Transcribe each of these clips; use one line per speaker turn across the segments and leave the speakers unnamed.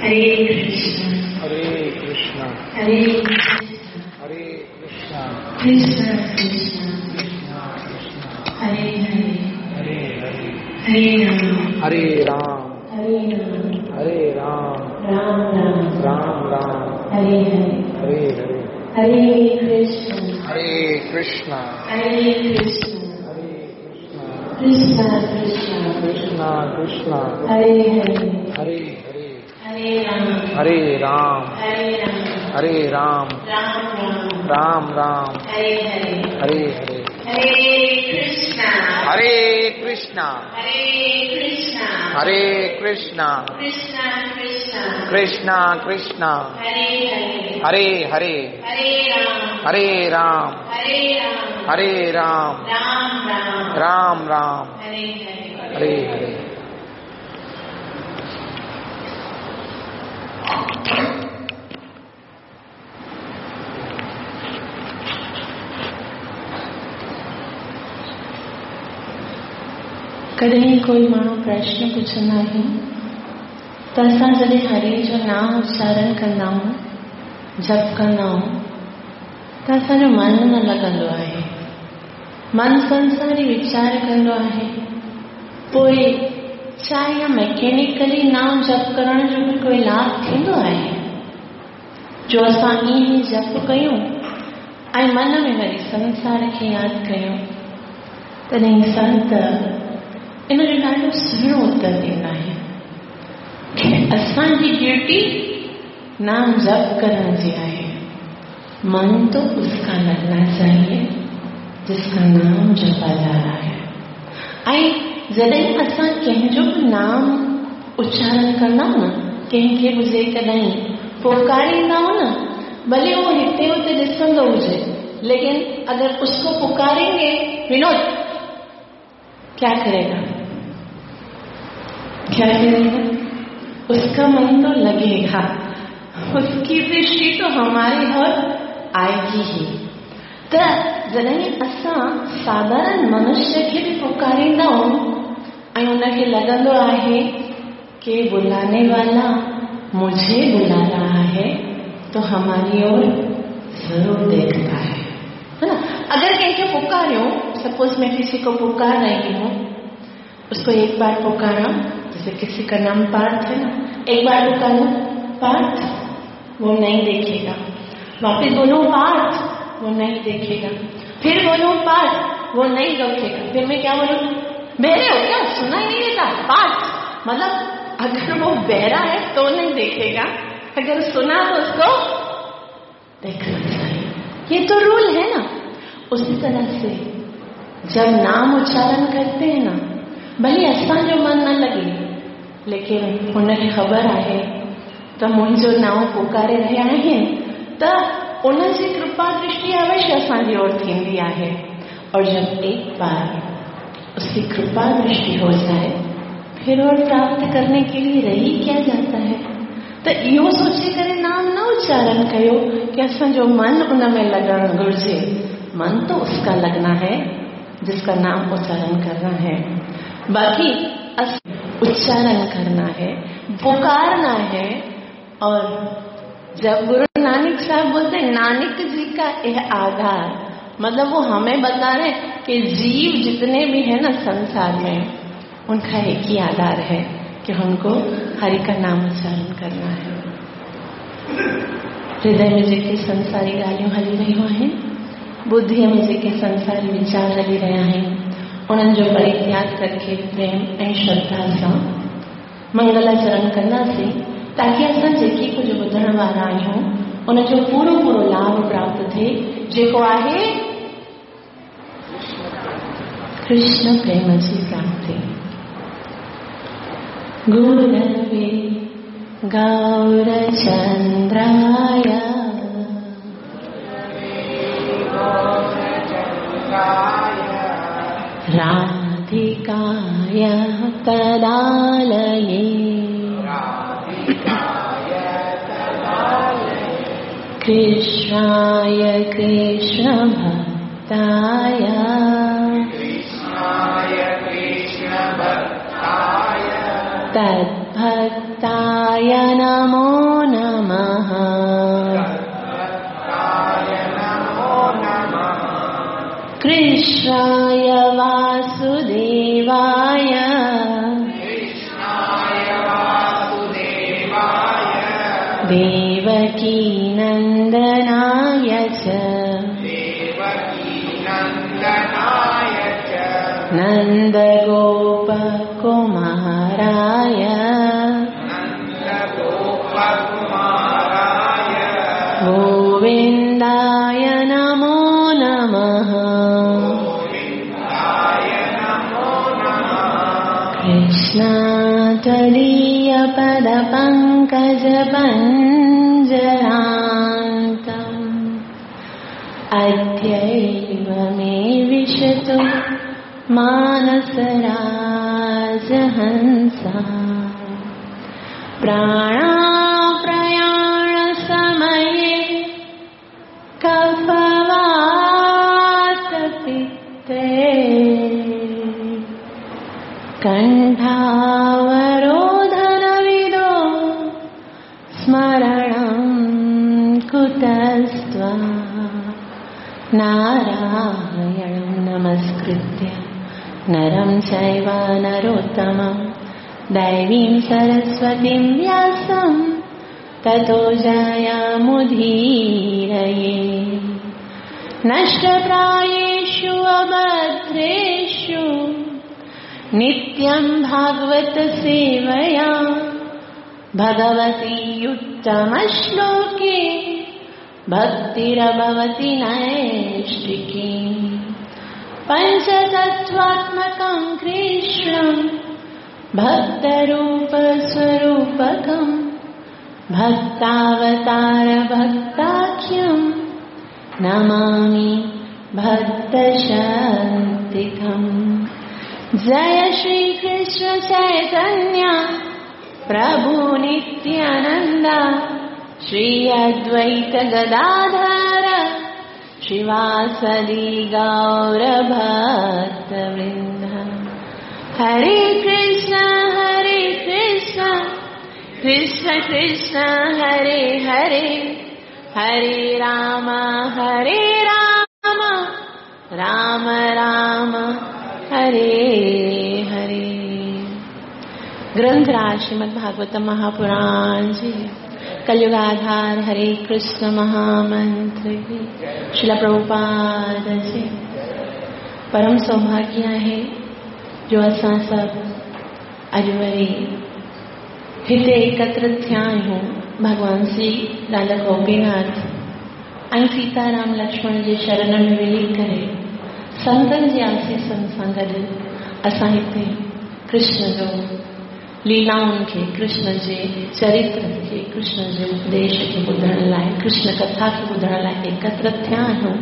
हरे कृष्ण
हरे कृष्ण
हरे कृष्ण
हरे कृष्ण
कृष्ण कृष्ण
कृष्ण कृष्ण
हरे हरे
हरे हरे
हरे राम
हरे राम
हरे राम
हरे राम
राम राम
राम राम
हरे हरे
हरे हरे
हरे कृष्ण
हरे कृष्ण
हरे कृष्ण
हरे कृष्ण
कृष्ण कृष्ण
कृष्ण कृष्ण
हरे हरे
हरे हरे
हरे राम
हरे राम
हरे राम
हरे राम
राम राम
राम राम
हरे हरे
हरे हरे
हरे कृष्ण
हरे कृष्ण
हरे कृष्ण
हरे कृष्ण
कृष्ण कृष्ण
कृष्ण कृष्ण
हरे हरे
हरे हरे
हरे राम
हरे राम
हरे राम
हरे राम
राम राम
राम राम
हरे हरे
हरे हरे।
कॾहिं कोई माण्हू प्रश्न पुछंदा आहिनि त असां जॾहिं हरि जो नाम उच्चारण कंदा आहियूं, जप कंदा आहियूं, त असांजो मन न लॻंदो आहे। मन संसारी वीचार कंदो आहे। पोइ छा इहा मैकेनिकली नाम जप करण जो बि कोई लाभ थींदो आहे? जो असां ईअं ई जप कयूं ऐं मन में वरी संसार खे यादि कयूं, तॾहिं संत इन जो ॾाढो सुहिणो उत्तर ॾींदा आहिनि की असांजी ड्यूटी नाम जप करण जी आहे। मन तो उसका लगना चाहिए जिसका नाम जपा जा रहा है। ऐं जॾहिं असां कंहिंजो बि नाम उच्चारण कंदा आहियूं न, कंहिंखे बि जेकॾहिं पुकारींदा आहियूं न, भले उहो हिते हुते ॾिसंदो हुजे, लेकिन अगर उसको पुकारेंगे, विनोद क्या करेगा? क्या करेगा? उसका मन तो लगेगा, उसकी दृष्टि तो हमारी ओर आएगी ही। त जॾहिं असां साधारण मनुष्य खे बि पुकारींदा आहियूं ऐं उनखे लॻंदो आहे कि बुलाने वाला मुझे बुला रहा है, तो हमारी ओर जरूर देखता है ना। अगर कंहिंखे पुकारियूं, सपोज मैं किसी को पुकार रही हूँ, उसको एक बार पुकारा, जैसे किसी का नाम पार्थ है ना, एक बार पुकारो पार्थ, वो नहीं देखेगा। वापिस बोलो पार्थ, वो नहीं देखेगा। फिर बोलो पार्थ, वो नहीं देखेगा। फिर मैं क्या बोलूं, बहरे हो क्या, सुना ही नहीं देता पार्थ, मतलब अगर वो बहरा है तो नहीं देखेगा, अगर सुना तो उसको देखना चाहिए। ये तो रूल है ना। उसी तरह से जब नाम उच्चारण करते हैं ना, भले असांजो मन न लॻे, लेकिन हुनखे ख़बर आहे त मुंहिंजो नाम पुकारे रहिया आहिनि, त उनजी कृपा दृष्टि अवश्य असांजी ओर थींदी आहे। और जब एक बार उसकी कृपा दृष्टि हो जाए, फिर और प्राप्त करने के लिए रही क्या जाता है। त इहो सोचे करे नाम न उच्चारण कयो कि असांजो मन उन में लॻणु घुर्जे। मन तो उसका लगना है जिसका नाम उच्चारण करना है, बाकी उच्चारण करना है, पुकारना है। और जब गुरु नानक साहब बोलते हैं नानक जी का यह आधार, मतलब वो हमें बता रहे हैं कि जीव जितने भी है ना संसार में, उनका एक ही आधार है कि उनको हरि का नाम उच्चारण करना है। हृदय में जेके संसारी ॻाल्हियूं हली रहियूं आहिनि, बुद्धिअ में जेके संसारी वीचार हली रहिया आहिनि, उन्हनि जो परित्याग करके प्रेम ऐं श्रद्धा सां मंगलाचरण कंदासीं, ताकि असां जेके कुझु ॿुधण वारा आहियूं उनजो पूरो पूरो लाभ प्राप्त थिए, जेको आहे कृष्ण प्रेम जी प्राप्ति। गुरवे गौरचंद्राय राधिकाय तदालये कृष्णाय कृष्णभक्ताय तद्भक्ताय नमो नमः। कृष्णाय वासुदेवाय देवकीनन्दनाय च नन्दगोपकुमाराय गोविन्दाय नमो नमः। कृष्णा त्वदीयपदपङ्कजपञ्जरान्तम् अद्यैव मे विशतु मानसराजहंसा। प्राणाप्रयाणसमये कफवातपित्ते कण्ठावरोधनविदो स्मरणं कुतस्त्वा। नारायणं नमस्कृत्य नरं चैव नरोत्तमं दैवीं सरस्वतीं व्यासं ततो जयमुदीरये। नष्टप्रायेषु अभद्रेषु नित्यं भागवत सेवया भगवती उत्तमश्लोके भक्तिरभवति नैष्टिकी। पञ्चतत्त्वात्मकं कृष्णं भक्तरूपस्वरूपकं भक्तावतारभक्ताख्यं नमामि भक्तशक्तिकम्। जय श्री कृष्ण चैतन्य प्रभु नित्यानंद श्री अद्वैत गदाधर श्रीवासदि गौर भक्तवृंद। हरे कृष्ण कृष्ण कृष्ण हरे हरे, हरे राम राम राम हरे हरे। ग्रंथराज श्रीमद् भागवत महापुराण जी, कलयुगाधार हरे कृष्ण महामंत्र श्रील प्रभुपाद जी। परम सौभाग्य आहे जो असां सभु अॼु वरी हिते एकत्र थिया आहियूं। भॻवान श्री राधा गोपीनाथ ऐं सीताराम लक्ष्मण जे शरण में मिली करे संतनि जे आशीषनि सां गॾु असां हिते कृष्ण जो लीलाउनि खे, कृष्ण जे चरित्र खे, कृष्ण जे उपदेश खे ॿुधण लाइ, कृष्ण कथा खे ॿुधण लाइ एकत्र थिया आहियूं।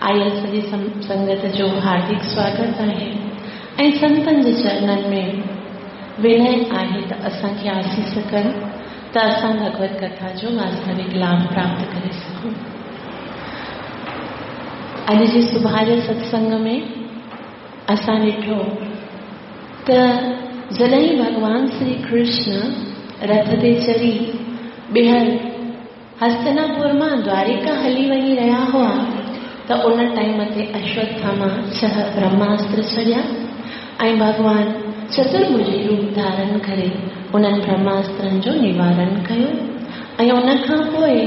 आयल सॼी संगत जो हार्दिक स्वागत आहे ऐं संतनि जे चरणनि में विनय आहे त असांखे आशीष कनि त असां भगवत कथा जो वास्तविक लाभ प्राप्त करे सघूं। अॼु जे सुबुह जे सत्संग में असां ॾिठो त जॾहिं भॻवान श्री कृष्ण रथ ते चढ़ी ॿीहर हस्तनापुर मां द्वारिका हली वञी रहिया हुआ त उन टाइम ते अश्वत्थामा 6 ब्रह्मास्त्र छॾिया ऐं भॻवान चतुर्भुजी रूप धारण करे उन्हनि ब्रह्मास्त्रनि जो निवारण कयो। ऐं उन खां पोइ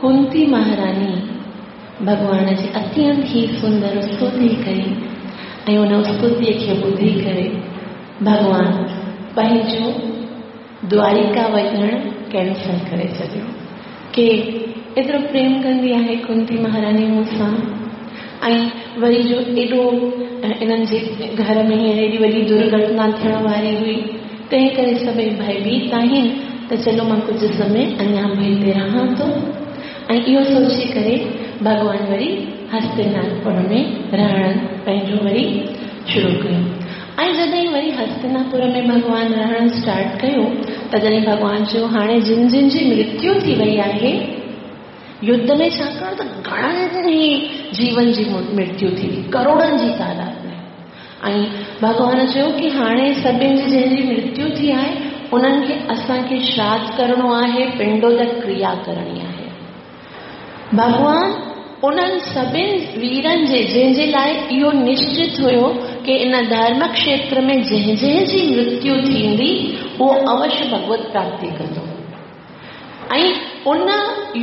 कुंती महारानी भॻवान जी अत्यंत ई सुंदर स्तुति कई ऐं उन स्तुतीअ खे ॿुधी करे भॻवान पंहिंजो द्वारिका वञणु कैंसल करे छॾियो। के एतिरो प्रेम कंदी आहे कुंती महारानी मूंसां ऐं वरी जो एॾो इन्हनि जे घर में हींअर एॾी वॾी दुर्घटना थियण वारी हुई, तंहिं करे सभई भयभीत आहिनि त चलो मां कुझु समय अञा बि हिते रहां थो। ऐं इहो सोची करे भॻवान वरी हस्तिनापुर में रहणु पंहिंजो वरी शुरू कयो। ऐं जॾहिं वरी हस्तिनापुर में भॻवान रहणु स्टार्ट कयो त जॾहिं भॻवान चयो हाणे जिन जिन जी मृत्यु थी वई आहे युद्ध में, छाकाणि त घणनि ई जीवन जी मृत्यु थी वई, करोड़नि जी तादाद में, ऐं भॻवान चयो की हाणे सभिनी जी जंहिंजी मृत्यु थी आहे उन्हनि खे असांखे श्राद्ध करिणो आहे, पिंडोदक क्रिया करणी आहे। भॻवान उन्हनि सभिनी वीरनि जे जंहिंजे लाइ इहो निश्चित हुयो की इन धर्म क्षेत्र में जंहिं जंहिं जी मृत्यु थींदी उहो अवश्य भगवत प्राप्ति कंदो। ऐं उन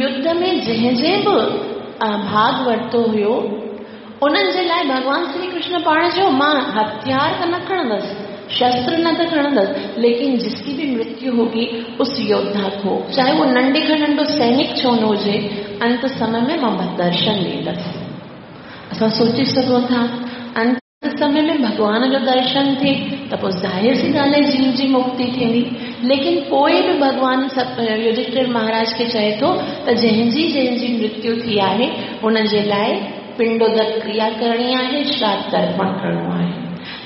युद्ध में जंहिं जंहिं बि भाग वरितो हुयो उन्हनि जे लाइ भॻवान श्री कृष्ण पाण चयो मां हथियार त न खणंदसि, शस्त्र न त खणंदसि, लेकिन जिसकी भी मृत्यु होगी उस योद्धा को, चाहे वो नंढे खां नंढो सैनिक छो न हुजे, अंत समय में मां दर्शन ॾींदसि। असां सोचे सघूं था अंत समय में भॻवान जो दर्शन थिए त पोइ ज़ाहिर सी ॻाल्हि आहे जीव जी मुक्ति थींदी। लेकिन पोइ बि भॻवान युधिष्ठिर महाराज खे चए थो त जंहिंजी जंहिंजी मृत्यु थी आहे उनजे लाइ पिंडोदक क्रिया करणी आहे, श्राद्ध तर्पण करिणो आहे।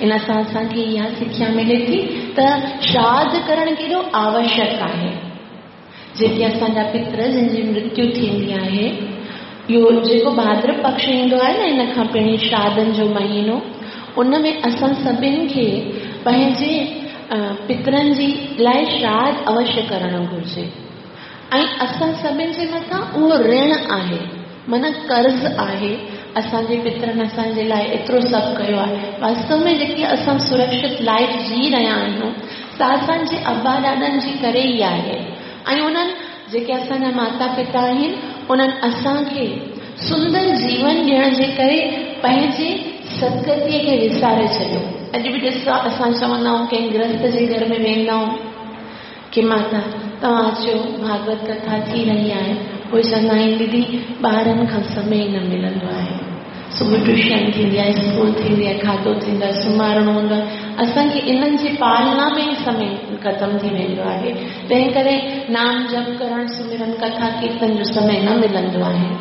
इन सां असांखे इहा सिख्या मिले थी त श्राद्ध करणु केॾो आवश्यक आहे। जेके असांजा पितर जंहिंजी मृत्यु थींदी आहे, इहो जेको भाद्र पक्ष ईंदो आहे न, इन खां पहिरीं श्राद्धनि जो महीनो, उन में असां सभिनी खे पंहिंजे पितरनि जी लाइ श्राद्ध अवश्य करणु घुरिजे। ऐं असां सभिनी जे मथां उहो ऋण आहे, माना कर्ज़ आहे। असांजे पितरनि असांजे लाइ एतिरो सभु कयो आहे। वास्तव में जेकी असां सुरक्षित लाइफ जी रहिया आहियूं सा असांजे अबा ॾाॾनि जी करे ई आहे। ऐं उन्हनि जेके असांजा माता पिता आहिनि उन्हनि असांखे सुंदर जीवन ॾियण जे करे पंहिंजे सदगतीअ खे विसारे छॾियो। अॼु बि ॾिसो असां चवंदा आहियूं कंहिं गृहस्थ जे घर में वेंदा आहियूं की माता तव्हां अचो, भागवत कथा थी रही आहे। उहे चवंदा आहिनि दीदी ॿारनि खां समय न मिलंदो आहे, सुबुह ट्यूशन थींदी आहे, स्कूल थींदी आहे, खाधो थींदो आहे, सुम्हारणो हूंदो आहे, असांखे इन्हनि जी पालना में ई समय ख़तमु थी वेंदो आहे। तंहिं करे नाम जप करणु, सुमिरन, कथा कीर्तन जो समय न मिलंदो आहे।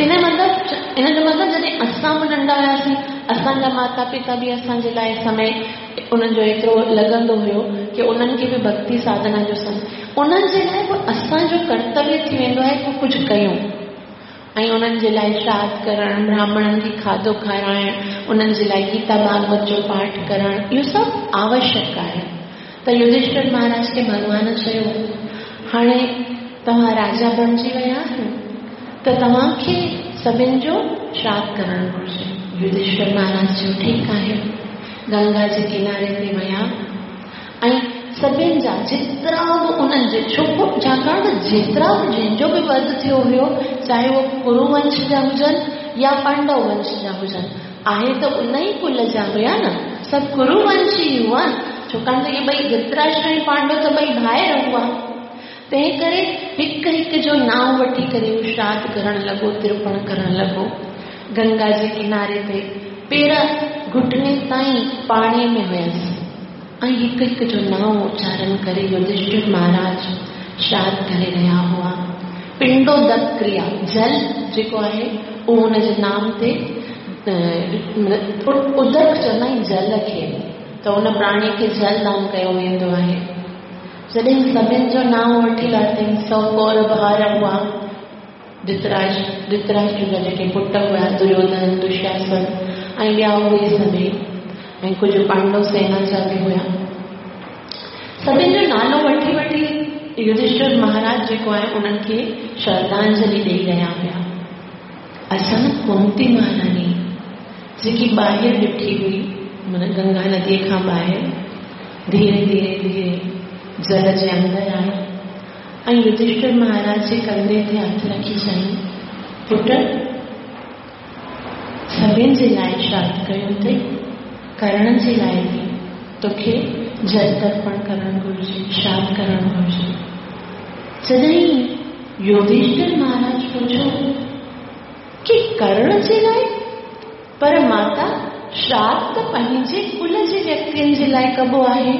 इन जो मतिलबु जॾहिं असां बि नंढा हुयासीं, असांजा माता पिता बि असांजे लाइ समय उन्हनि जो एतिरो लॻंदो हुयो की उन्हनि खे बि भक्ति साधना जो समय, उन्हनि जे लाइ बि असांजो कर्तव्य थी वेंदो आहे की कुझु कयूं ऐं उन्हनि जे लाइ श्राद्ध करणु, ब्राह्मणनि खे खाधो खाराइणु, उन्हनि जे लाइ गीता भागवत जो पाठ करणु, इहो सभु आवश्यक आहे। त युधिष्ठिर महाराज खे भॻवान चयो हाणे तव्हां राजा बणिजी विया आहियो त तव्हांखे सभिनी जो श्राद्ध करणु घुरिजे। युधिष्ठिर महाराज चयो ठीकु आहे। गंगा जे किनारे ते विया ऐं सभिनी जा जेतिरा बि उन्हनि जे, छो छाकाणि त जेतिरा बि जंहिंजो बि वध थियो हुयो, चाहे उहो कुरुवंश जा हुजनि या पांडव वंश जा हुजनि, आहे त उन ई कुल जा हुया न, सभु कुरुवंशी हुआ, छाकाणि त इहे ॿई धृतराष्ट्र ऐं पांडव त ॿई भाइर हुआ। तंहिं करे हिकु हिकु जो नांव वठी करे उहो श्राद्ध करणु लॻो, तिरपण करणु लॻो। गंगा जे किनारे ते पेर घुटने ताईं पाणीअ में हुयसि ऐं हिकु हिकु जो नांव उच्चारण करे युधिष्ठिर महाराज श्राद्ध करे रहिया हुआ। पिंडोदक क्रिया, जल जेको आहे उहो हुनजे नाम ते उदक चवंदा आहिनि जल खे, त उन प्राणी खे जल दान कयो वेंदो आहे। जॾहिं सभिनी जो नांव वठी लाथई, 100 कौरव ॿार हुआ, धृतराष्ट्र जा जेके पुट हुआ, दुर्योधन, दुशासन ऐं ॿिया उहे सभई, ऐं कुझु पांडव सेना जा बि हुया। सभिनी जो नालो वठी वठी युधिष्ठिर महाराज जेको आहे उन्हनि खे श्रद्धांजलि ॾेई रहिया हुया। अचानक कुंती महारानी जेकी ॿाहिरि बीठी हुई, माना गंगा नदीअ खां ॿाहिरि, धीरे धीरे धीरे जल जे अंदरि आई ऐं युधिष्ठिर महाराज जे कंधे ते हथु रखी चयईं, पुट सभिनी जे लाइ श्राद्ध कयो अथई, करण जे लाइ बि तोखे जल तर्पण करणु घुरिजे, श्राद्ध करणु घुरिजे। जॾहिं युधिष्ठिर महाराज पुछो की करण जे लाइ, पर माता श्राद्ध त पंहिंजे कुल जे व्यक्तियुनि जे लाइ कबो आहे,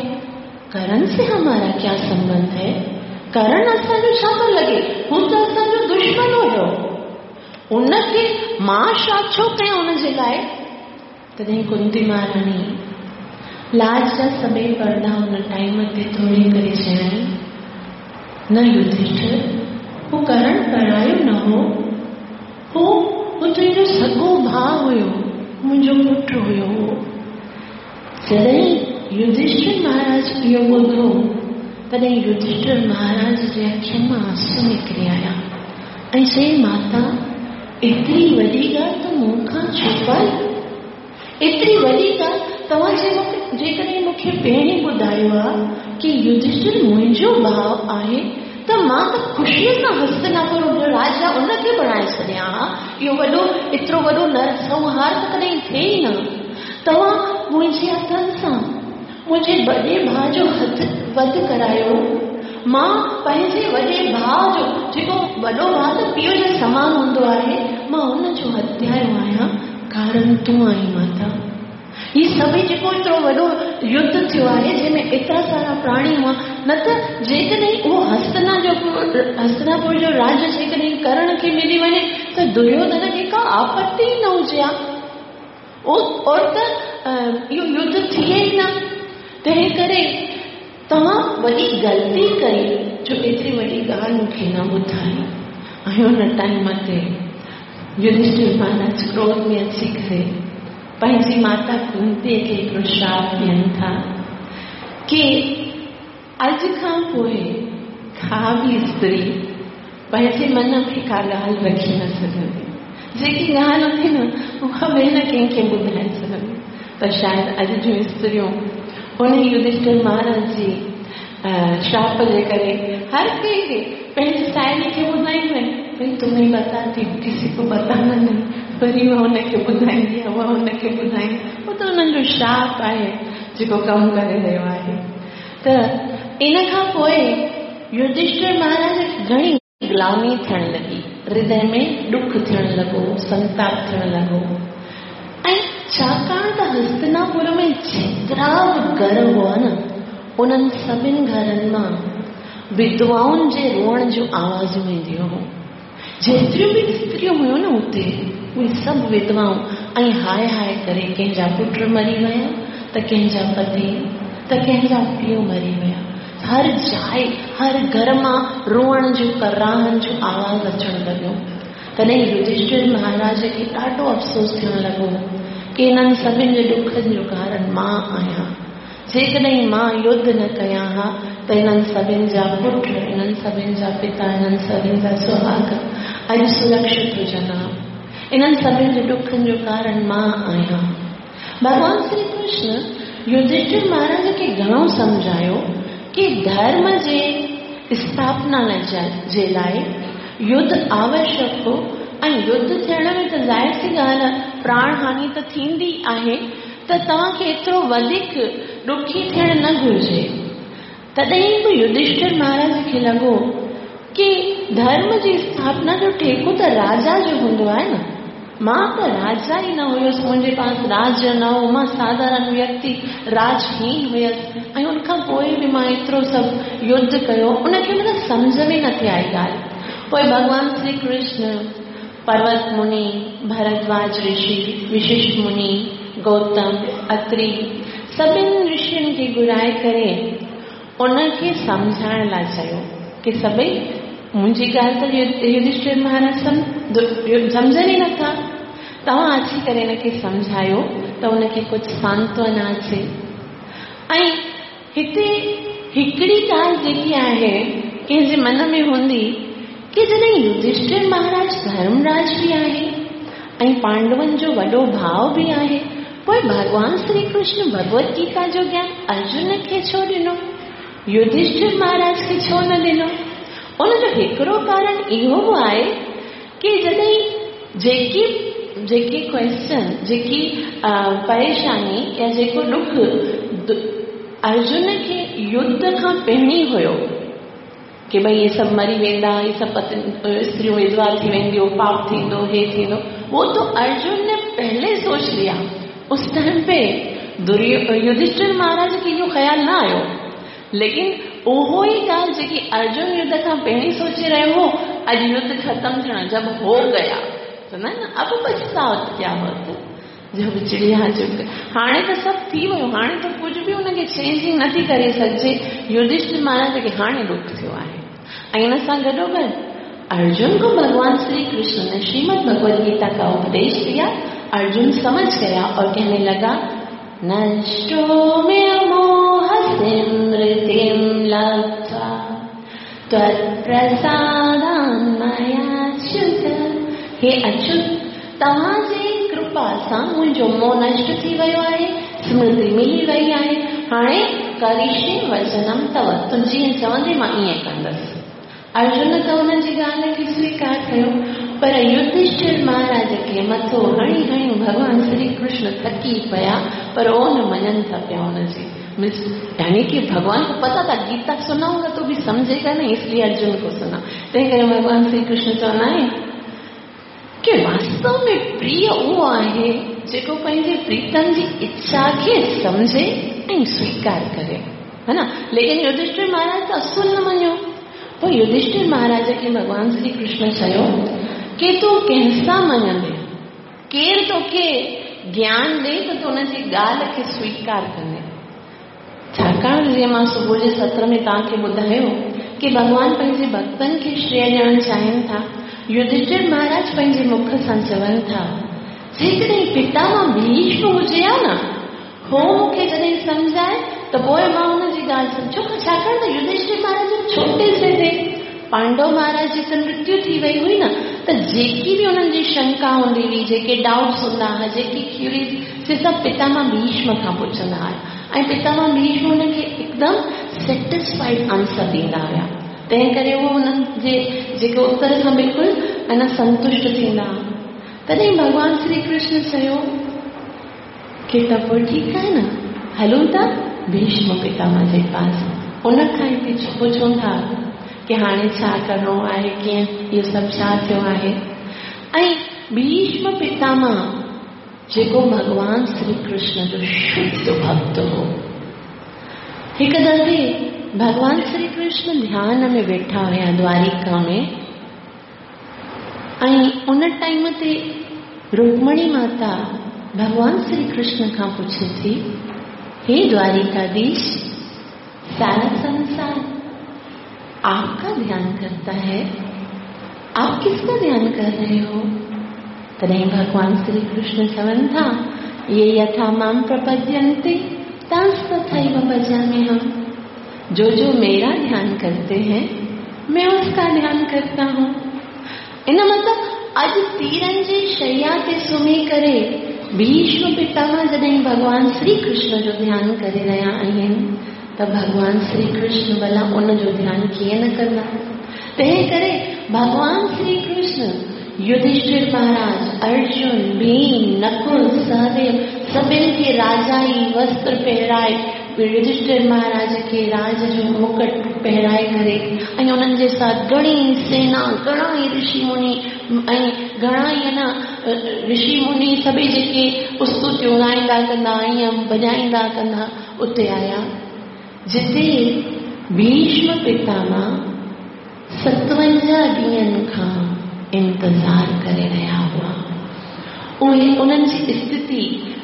करण से हमारा क्या संबंध है? करण असांजो छा थो लॻे? हू त असांजो दुश्मन हुयो, उनखे मां श्राद्ध छो कयां उनजे लाइ? तॾहिं कुंती महारानी लाज जा सभई पर्दा हुन टाइम ते थोरी करे चयईं, न युधिष्ठिर, हू करण परायो न हो, हू तुंहिंजो सॻो भाउ हुयो, मुंहिंजो पुटु हुयो। जॾहिं युधिष्ठिर महाराज इहो ॿुधो, तॾहिं युधिष्ठिर महाराज जे अखियुनि मां आंसू निकिरी आया ऐं चयईं, माता, एतिरी वॾी ॻाल्हि त मूंखां छुपाई, एतिरी वॾी ॻाल्हि तव्हां जेकॾहिं मूंखे पहिरीं ॿुधायो आहे की युधिष्ठिर मुंहिंजो भाउ आहे, त मां त ख़ुशीअ सां हस्तिनापुर जो राजा उनखे बणाए छॾियां हा। इहो वॾो, एतिरो वॾो नरसंहार त कॾहिं थिए ई न। तव्हां मुंहिंजे हथनि सां मुंहिंजे वॾे भाउ जो हथ वध करायो। मां पंहिंजे वॾे भाउ जो, जेको वॾो भाउ त पीउ जे समान हूंदो आहे, मां हुनजो हत्यारो आहियां, कारण तूं आहीं माता। हीअ सभई जेको एतिरो वॾो युद्ध थियो आहे, जंहिंमें एतिरा सारा प्राणी हुआ, न त जेकॾहिं उहो हस्तिनापुर जो राज्य जेकॾहिं करण खे मिली वञे त दुर्योधन खे का आपत्ति ई न हुजे हा, और त इहो युद्ध थिए ई न। तंहिं करे तव्हां वॾी ग़लती कई जो एतिरी वॾी ॻाल्हि मूंखे न ॿुधाई। ऐं हुन टाइम ते युधिष्ठिर महाराज क्रोध में अची करे पंहिंजी माता कुंतीअ खे हिकिड़ो श्राप ॾियनि था की अॼु खां पोइ का बि स्त्री पंहिंजे मन में का ॻाल्हि रखी न सघंदी, जेकी ॻाल्हि हूंदी न उहा बि न कंहिंखे ॿुधाए सघंदी। पर शायदि अॼु जूं स्त्रियूं उन युधिष्ठिर महाराज जी श्राप जे करे हर कंहिंखे पंहिंजी साहेली खे ॿुधाईंदियूं आहिनि, भई तुम्हें बताती हूँ, किसी को बताना नहीं, वरी उहा हुनखे ॿुधाईंदी आहे, उहा हुनखे ॿुधाईंदी, उहो त हुननि जो श्राप आहे जेको कमु करे रहियो आहे। त इन खां पोइ युधिष्ठिर महाराज खे घणी ग्लानी थियण लॻी, हृदय में ॾुख थियण लॻो, संताप थियण लॻो। ऐं छाकाणि त हस्तिनापुर में जेतिरा बि घर हुआ न, उन्हनि सभिनि घरनि मां विधवाउनि जे रोअण जूं आवाज़ूं ईंदियूं हुयूं। जेतिरियूं बि स्त्रियूं हुयूं न हुते, उहे सभु विधवाऊं ऐं हाय हाय करे कंहिंजा पुट मरी विया, त कंहिंजा पति, त कंहिंजा पीउ मरी विया। हर जाइ, हर घर मां रोअण जूं, कराहनि जो आवाज़ अचणु लॻो। तॾहिं युधिष्ठिर महाराज खे ॾाढो अफ़सोस थियणु लॻो की हिननि सभिनि जे ॾुखनि जो कारण मां आहियां। जेकॾहिं मां युद्ध न कयां हा त हिननि सभिनि जा पुट, हिननि सभिनि जा पिता, हिननि सभिनि जा सुहाग अॼु सुरक्षित हुजनि हा। हिननि सभिनि जे ॾुखनि जो कारण मां आहियां। भॻवान श्री कृष्ण युधिष्ठिर महाराज खे घणो सम्झायो की धर्म जे स्थापना जे लाइ युद्ध आवश्यक हो ऐं युद्ध थियण में त ज़ाहिर सी ॻाल्हि आहे प्राण हानि त थींदी आहे, त तव्हांखे एतिरो वधीक ॾुखी थियणु न घुरिजे। तॾहिं बि युधिष्ठिर महाराज खे लॻो की धर्म जी स्थापना जो ठेको त राजा जो हूंदो आहे न, मां त राजा ई न हुयुसि, मुंहिंजे पास राज्य न हो, मां साधारण व्यक्ति राजहीन हुयुसि ऐं उनखां पोइ बि मां एतिरो सभु युद्ध कयो, उनखे मतिलबु सम्झ में नथी आई ॻाल्हि। पोइ भॻवान श्री कृष्ण, पर्वत मुनि, भरद्वाज ऋषि, विशिष्ट मुनि, गौतम, अत्रि सभिनि ऋषियुनि खे घुराए करे उनखे सम्झाइण लाइ चयो की सभई मुंहिंजी ॻाल्हि त युधिष्ठिर महाराज सम्झनि ई नथा, तव्हां अची करे हिनखे सम्झायो त हुनखे कुझु सांत्वना अचे। ऐं हिते हिकिड़ी ॻाल्हि जेकी आहे कंहिंजे मन में हूंदी की जॾहिं युधिष्ठिर महाराज धर्मराज बि आहे ऐं पांडवनि जो वॾो भाउ बि आहे, पोइ भॻवान श्री कृष्ण भगवत गीता जो ज्ञान अर्जुन खे छो ॾिनो, युधिष्ठिर महाराज खे छो न ॾिनो? उनजो हिकिड़ो कारण इहो बि आहे की जॾहिं जेकी जेकी क्वेश्चन, जेकी परेशानी या जेको ॾुख अर्जुन खे युद्ध खां पहिरीं हुयो की भई इहे सभु मरी वेंदा, इहे सभु स्त्रियूं विधवा थी वेंदियूं, पाप थींदो, हे थींदो, वो तो अर्जुन ने पहले सोच लिया। उस टाइम पे युधिष्ठिर महाराज खे इहो ख़्यालु न आयो, लेकिन उहो ई ॻाल्हि जेकी अर्जुन युद्ध खां पहिरीं सोचे रहियो हो, अॼु युद्ध ख़त्म थियण जब हो गया तो न अब पछताओ क्या होत, जब चिड़िया चुग। हाणे त सभु थी वियो, हाणे त कुझु बि हुनखे चेंजिंग नथी करे सघिजे। युधिष्ठिर महाराज खे हाणे ॾुख थियो आहे। ऐं हिन सां गॾोगॾु अर्जुन को भगवान श्री कृष्ण ने श्रीमद् भगवद गीता का उपदेश दिया। अर्जुन समझ गया और कहने लगा, नष्टो मे मोहस्मृतिं लब्ध्वा त्वत्प्रसादान्मयाच्युत। हे अच्युत, तव्हांजी कृपा सां मुंहिंजो मोह नष्ट थी वियो आहे, स्मृति मिली वई आहे। हाणे करिष्ये वचनम तव, तूं जीअं चवंदे मां ईअं कंदसि। अर्जुन त हुनजी ॻाल्हि खे स्वीकार कयो, पर युधिष्ठिर महाराज खे मथो हणी हणी भॻवान श्री कृष्ण थकी पिया, पर उहो न मञनि था पिया हुनजी। यानी कि भगवान को पता था गीता सुनाऊंगा तो भी समझेगा नहीं, इसलिए अर्जुन को सुना। तंहिं करे भॻवान श्री कृष्ण चवंदा आहिनि कि वास्तव में प्रिय उहो आहे जेको पंहिंजे प्रीतम जी इच्छा खे सम्झे ऐं स्वीकार करे, है न। लेकिन युधिष्ठिर महाराज त असुल न मञियो। पोइ युधिष्ठिर महाराज खे भॻवान श्री कृष्ण चयो कि तूं कंहिंसां मञंदे, केरु तोखे ज्ञान ॾे त तूं हुनजी ॻाल्हि खे स्वीकार कंदे। छाकाणि जीअं मां सुबुह जे सत्र में तव्हांखे ॿुधायो कि भॻवान पंहिंजे भक्तनि खे श्रेय ॾियणु चाहिनि था। युधिष्ठिर महाराज पंहिंजे मुख सां चवनि था, जेकॾहिं पितामह भीष्म हुजे हा न, हो मूंखे जॾहिं सम्झाए त पोइ मां हुनजी ॻाल्हि सम्झो। छाकाणि त युधिष्ठिर महाराज छोटे से थे, पांडव महाराज जी त मृत्यु थी वई हुई न, त जेकी बि हुननि जी शंका हूंदी हुई, जेके डाउट्स हूंदा हुआ, जेकी क्यूरीज, से सभु पितामह भीष्म खां पुछंदा हुआ ऐं पितामह भीष्म हुनखे एकदम सेटिस्फाइड आंसर ॾींदा हुआ। तंहिं करे उहो हुननि जे जेके उत्तर सां बिल्कुलु ऐं संतुष्ट थींदा हुआ। तॾहिं भॻवान श्री कृष्ण चयो कि त पोइ ठीकु आहे न, हलूं था भीष्म पितामह जे पास, उन खां ई पुछूं था कि हाणे छा करिणो आहे, कीअं इहो सभु छा थियो आहे। ऐं भीष्म पितामह जेको भॻवान श्री कृष्ण जो शुद्ध भक्त हो, हिकु दफ़े भॻवान श्री कृष्ण ध्यान में वेठा हुया द्वारिका में ऐं उन टाइम ते रुक्मणी माता भॻवान श्री कृष्ण खां पुछे थी, हे द्वारिकाधीश, सारा संसार आपका ध्यान करता है, आप किसका ध्यान कर रहे हो? तॾहिं भॻवान श्री कृष्ण चवनि था, ये यथा मां प्रपद्यन्ते तांस्तथैव भजाम्यहम्। जो जो मेरा ध्यान करते हैं मैं उसका ध्यान करता हूँ। इन मतिलबु अॼु तीरनि जी शैया ते सुम्ही करे भीष्म पितामह जॾहिं भॻवान श्री कृष्ण जो ध्यान करे रहिया आहिनि त भॻवान श्री कृष्ण भला उन जो ध्यान कीअं न कंदा। तंहिं करे भॻवान श्री कृष्ण युधिष्ठिर महाराज, अर्जुन, भीम, नकुल, सहदेव सभिनि खे राजाई वस्त्र पहिराए युधिष्ठिर महाराज खे राज जो मुकुट पहिराए करे ऐं उन्हनि जे साथ घणी सेना, घणा ई ऋषि मुनि ऐं घणा ई न ऋषि मुनि सभई जेके स्तुतियूं ॻाईंदा कंदा ईअं वॼाईंदा कंदा उते आया, जिते भीष्म पितामह 57 ॾींहनि खां इंतज़ार करे रहिया हुआ। उहे उन्हनि जी स्थिति,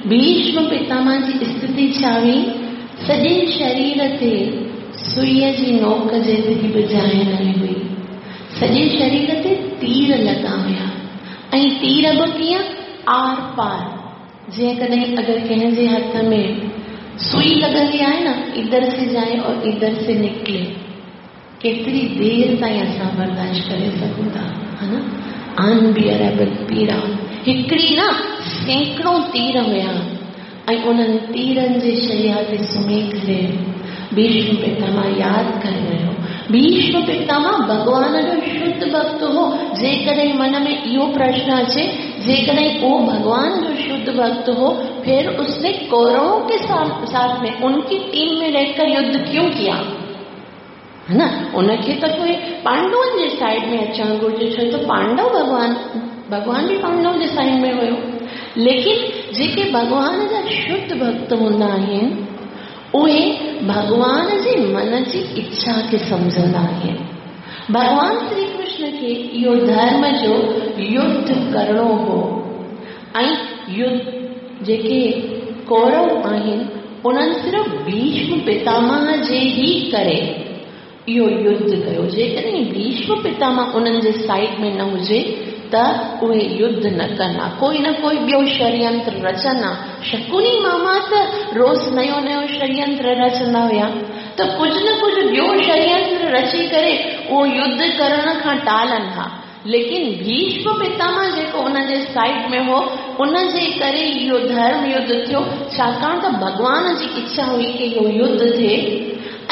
भीष्म पितामह जी स्थिति छा हुई, सॼे शरीर ते सुईअ जी नोक जेतिरी बि जाइ न हुई, सॼे शरीर ते तीर लॻा हुया ऐं तीर बि कीअं are पार। जीअं कॾहिं अगरि कंहिंजे हथ में सुई लॻंदी आहे न, इधर से जाए और इधर से निकिले, केतिरी देरि ताईं असां बर्दाश्त करे सघूं था, है न। अनबियरेबल पीड़ा, हिकिड़ी न सैकड़ो तीर हुया ऐं उन्हनि तीरनि जे शैया ते सुम्ही करे भीष्म पितामह यादि करे रहियो। भीष्म पितामह भॻवान जो शुद्ध भक्त हो। जेकॾहिं मन में इहो प्रश्न अचे, जेकॾहिं उहो भॻवान जो शुद्ध भक्त हो, फिर उसने कौरवों के साथ में उनकी टीम में रहकर युद्ध क्यों किया, है न। उनखे त पोइ पांडवनि जे साइड में अचणु घुरिजे, छो त पांडव भॻवान बि पांडव जे साइड में हुयो। लेकिन जेके भॻवान जा शुद्ध भक्त हूंदा आहिनि उहे भॻवान जे मन जी इच्छा खे सम्झंदा आहिनि। भॻवान श्री कृष्ण खे इहो धर्म जो युद्ध करिणो हो ऐं युद्ध जेके कौरव आहिनि उन्हनि सिर्फ़ भीष्म पितामह जे ई करे इहो युद्ध कयो। जेकॾहिं भीष्म पितामह उन्हनि जे साइड में न हुजे त उहे युद्ध न कंदा, कोई न कोई ॿियो षड्यंत्र रचंदा। शकुनी मामा त रोज़ नयो नयो षड्यंत्र रचंदा हुया, त कुझु न कुझु ॿियो षड्यंत्र रची करे उहो युद्ध करण खां टालनि हा। लेकिन भीष्म पितामह जेको उनजे साइड में हो, उनजे करे इहो धर्म युद्ध थियो, छाकाणि त भॻवान जी इच्छा हुई की इहो युद्ध थिए।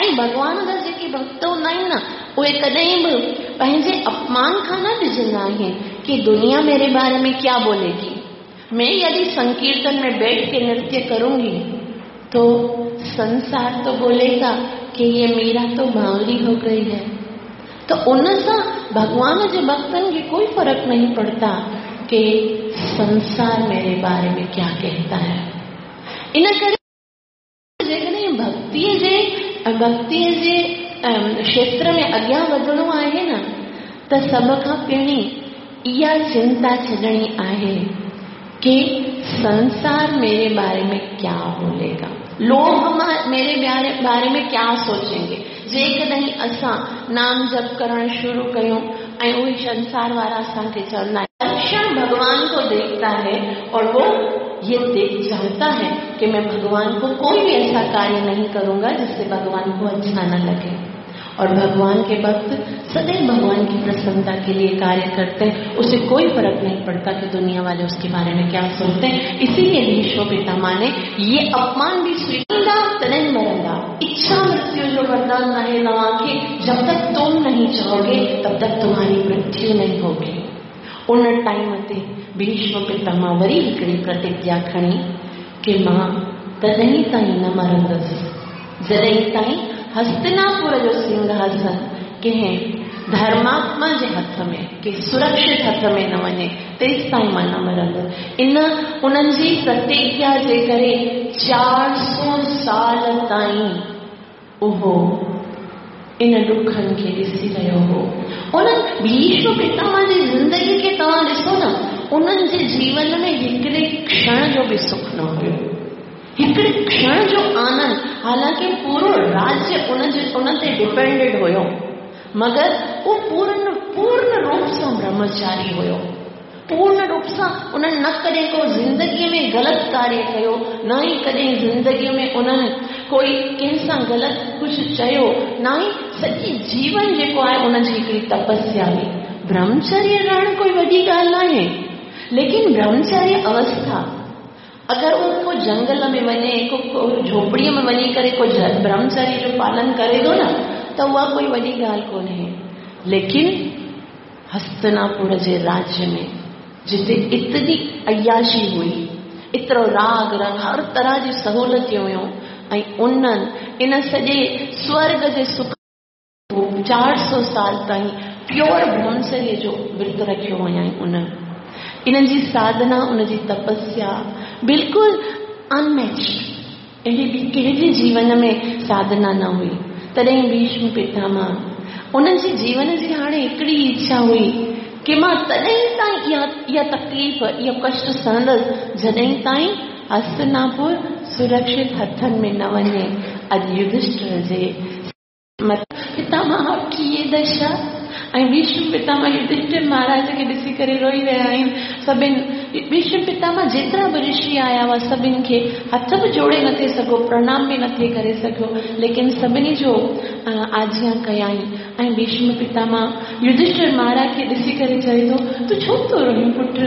ऐं भॻवान जा जेके भक्त हूंदा आहिनि न, उहे कॾहिं बि पंहिंजे अपमान खां न डिॼंदा आहिनि कि दुनिया मेरे बारे में क्या बोलेगी। मैं यदि संकीर्तन में बैठ के नृत्य करूंगी तो संसार तो बोलेगा कि ये मीरा तो बावली हो गई है। तो उन सां भॻवान जे भक्तनि खे कोई फर्क नहीं पड़ता कि संसार मेरे बारे में क्या कहता है। इन करे जेकॾहिं भक्तीअ जे क्षेत्र में अॻियां वधणो आहे न, त सभ खां पहिरीं इहा चिंता छॾणी आहे कि संसार मेरे बारे में क्या बोलेगा, लोग मेरे बारे में क्या सोचेंगे। जेकॾहिं असां नाम जप करण शुरू कयूं ऐं उहे संसार वारा असांखे चवंदा आहिनि, क्षण भगवान को देखता है और वो ये देख जानता है कि मैं भगवान को कोई भी ऐसा कार्य नहीं करूंगा जिससे भगवान को अच्छा न लगे। और भगवान के भक्त सदैव भगवान की प्रसन्नता के लिए कार्य करते हैं, उसे कोई फर्क नहीं पड़ता कि दुनिया वाले उसके बारे में क्या सोचते हैं। इसीलिए भीष्म पितामह ने ये अपमान भी स्वीकार तॾहिं मरंदा। इच्छा मृत्यु जो वरदान आहे तव्हांखे, जब तक तुम नहीं चाहोगे तब तक तुम्हारी मृत्यु नहीं होगी। उन टाइम ते भीष्म पितामह वरी हिकिड़ी प्रतिज्ञा खणी कि मां तॾहिं ताईं न मरंदसि जॾहिं ताईं हस्तिनापुर जो सिंहासन कंहिं धर्मात्मा जे हथ में, कंहिं सुरक्षित हथ में न वञे, तेसि ताईं मां न मरंदसि। इन उन्हनि जी प्रतिज्ञा जे करे 400 साल ताईं उहो इन ॾुखनि खे ॾिसी रहियो हो। उन्हनि भीष्म पितामह जी ज़िंदगी खे तव्हां ॾिसो न, उन्हनि जे जीवन में हिकिड़े क्षण जो बि सुख न हुयो, हिकिड़े क्षण जो आनंद। हालांकि पूरो राज्य उन ते डिपेंडेड हुयो, मगर उहो पूर्ण रूप सां ब्रह्मचारी हुयो। पूर्ण रूप सां उन्हनि न कॾहिं को ज़िंदगीअ में ग़लति कार्य कयो, न ई कॾहिं ज़िंदगीअ में उन्हनि कोई कंहिंसां ग़लति कुझु चयो, न ई सॼी जीवन जेको आहे उनजी हिकिड़ी तपस्या हुई। ब्रह्मचर्य रहणु कोई वॾी ॻाल्हि न आहे, लेकिन ब्रह्मचर्य अवस्था अगरि उहो को जंगल में वञे, को झोपड़ीअ में वञी करे को ब्रह्मचर्य जो पालन करे थो न, त उहा कोई वॾी ॻाल्हि कोन्हे। लेकिन हस्तिनापुर जे राज्य में जिते इतनी अयाशी हुई, एतिरो राग रंग, हर तरह जी सहूलियतूं हुयूं, ऐं उन्हनि इन सॼे स्वर्ग जे सुख 400 साल ताईं प्योर ब्रह्मचर्य जो व्रत रखियो हुयाईं। उन्हनि इन जी साधना, उन जी तपस्या बिल्कुलु अनमैच, अहिड़ी बि कंहिंजे जीवन में साधना न हुई। तॾहिं भीष्म पितामह उन्हनि जी जीवन जी हाणे हिकिड़ी इच्छा हुई कि मां तॾहिं ताईं इहा तकलीफ़, इहो कष्ट सहंदसि जॾहिं ताईं हस्तिनापुर सुरक्षित हथनि में न वञे। अॼु युधिष्ठिर जे पितामह आपकी ये दशा, ऐं भीष्म पितामह युधिष्ठिर महाराज खे ॾिसी करे रोई रहिया आहिनि। सभिनि भीष्म पितामह जेतिरा बि ऋषि आया हुआ सभिनि खे हथ बि जोड़े नथे सघो, प्रणाम बि नथे करे सघियो, लेकिन सभिनी जो आजियां कयाईं। ऐं भीष्म पितामह युधिष्ठिर महाराज खे ॾिसी करे चए थो, तूं छो थो रोईं पुट,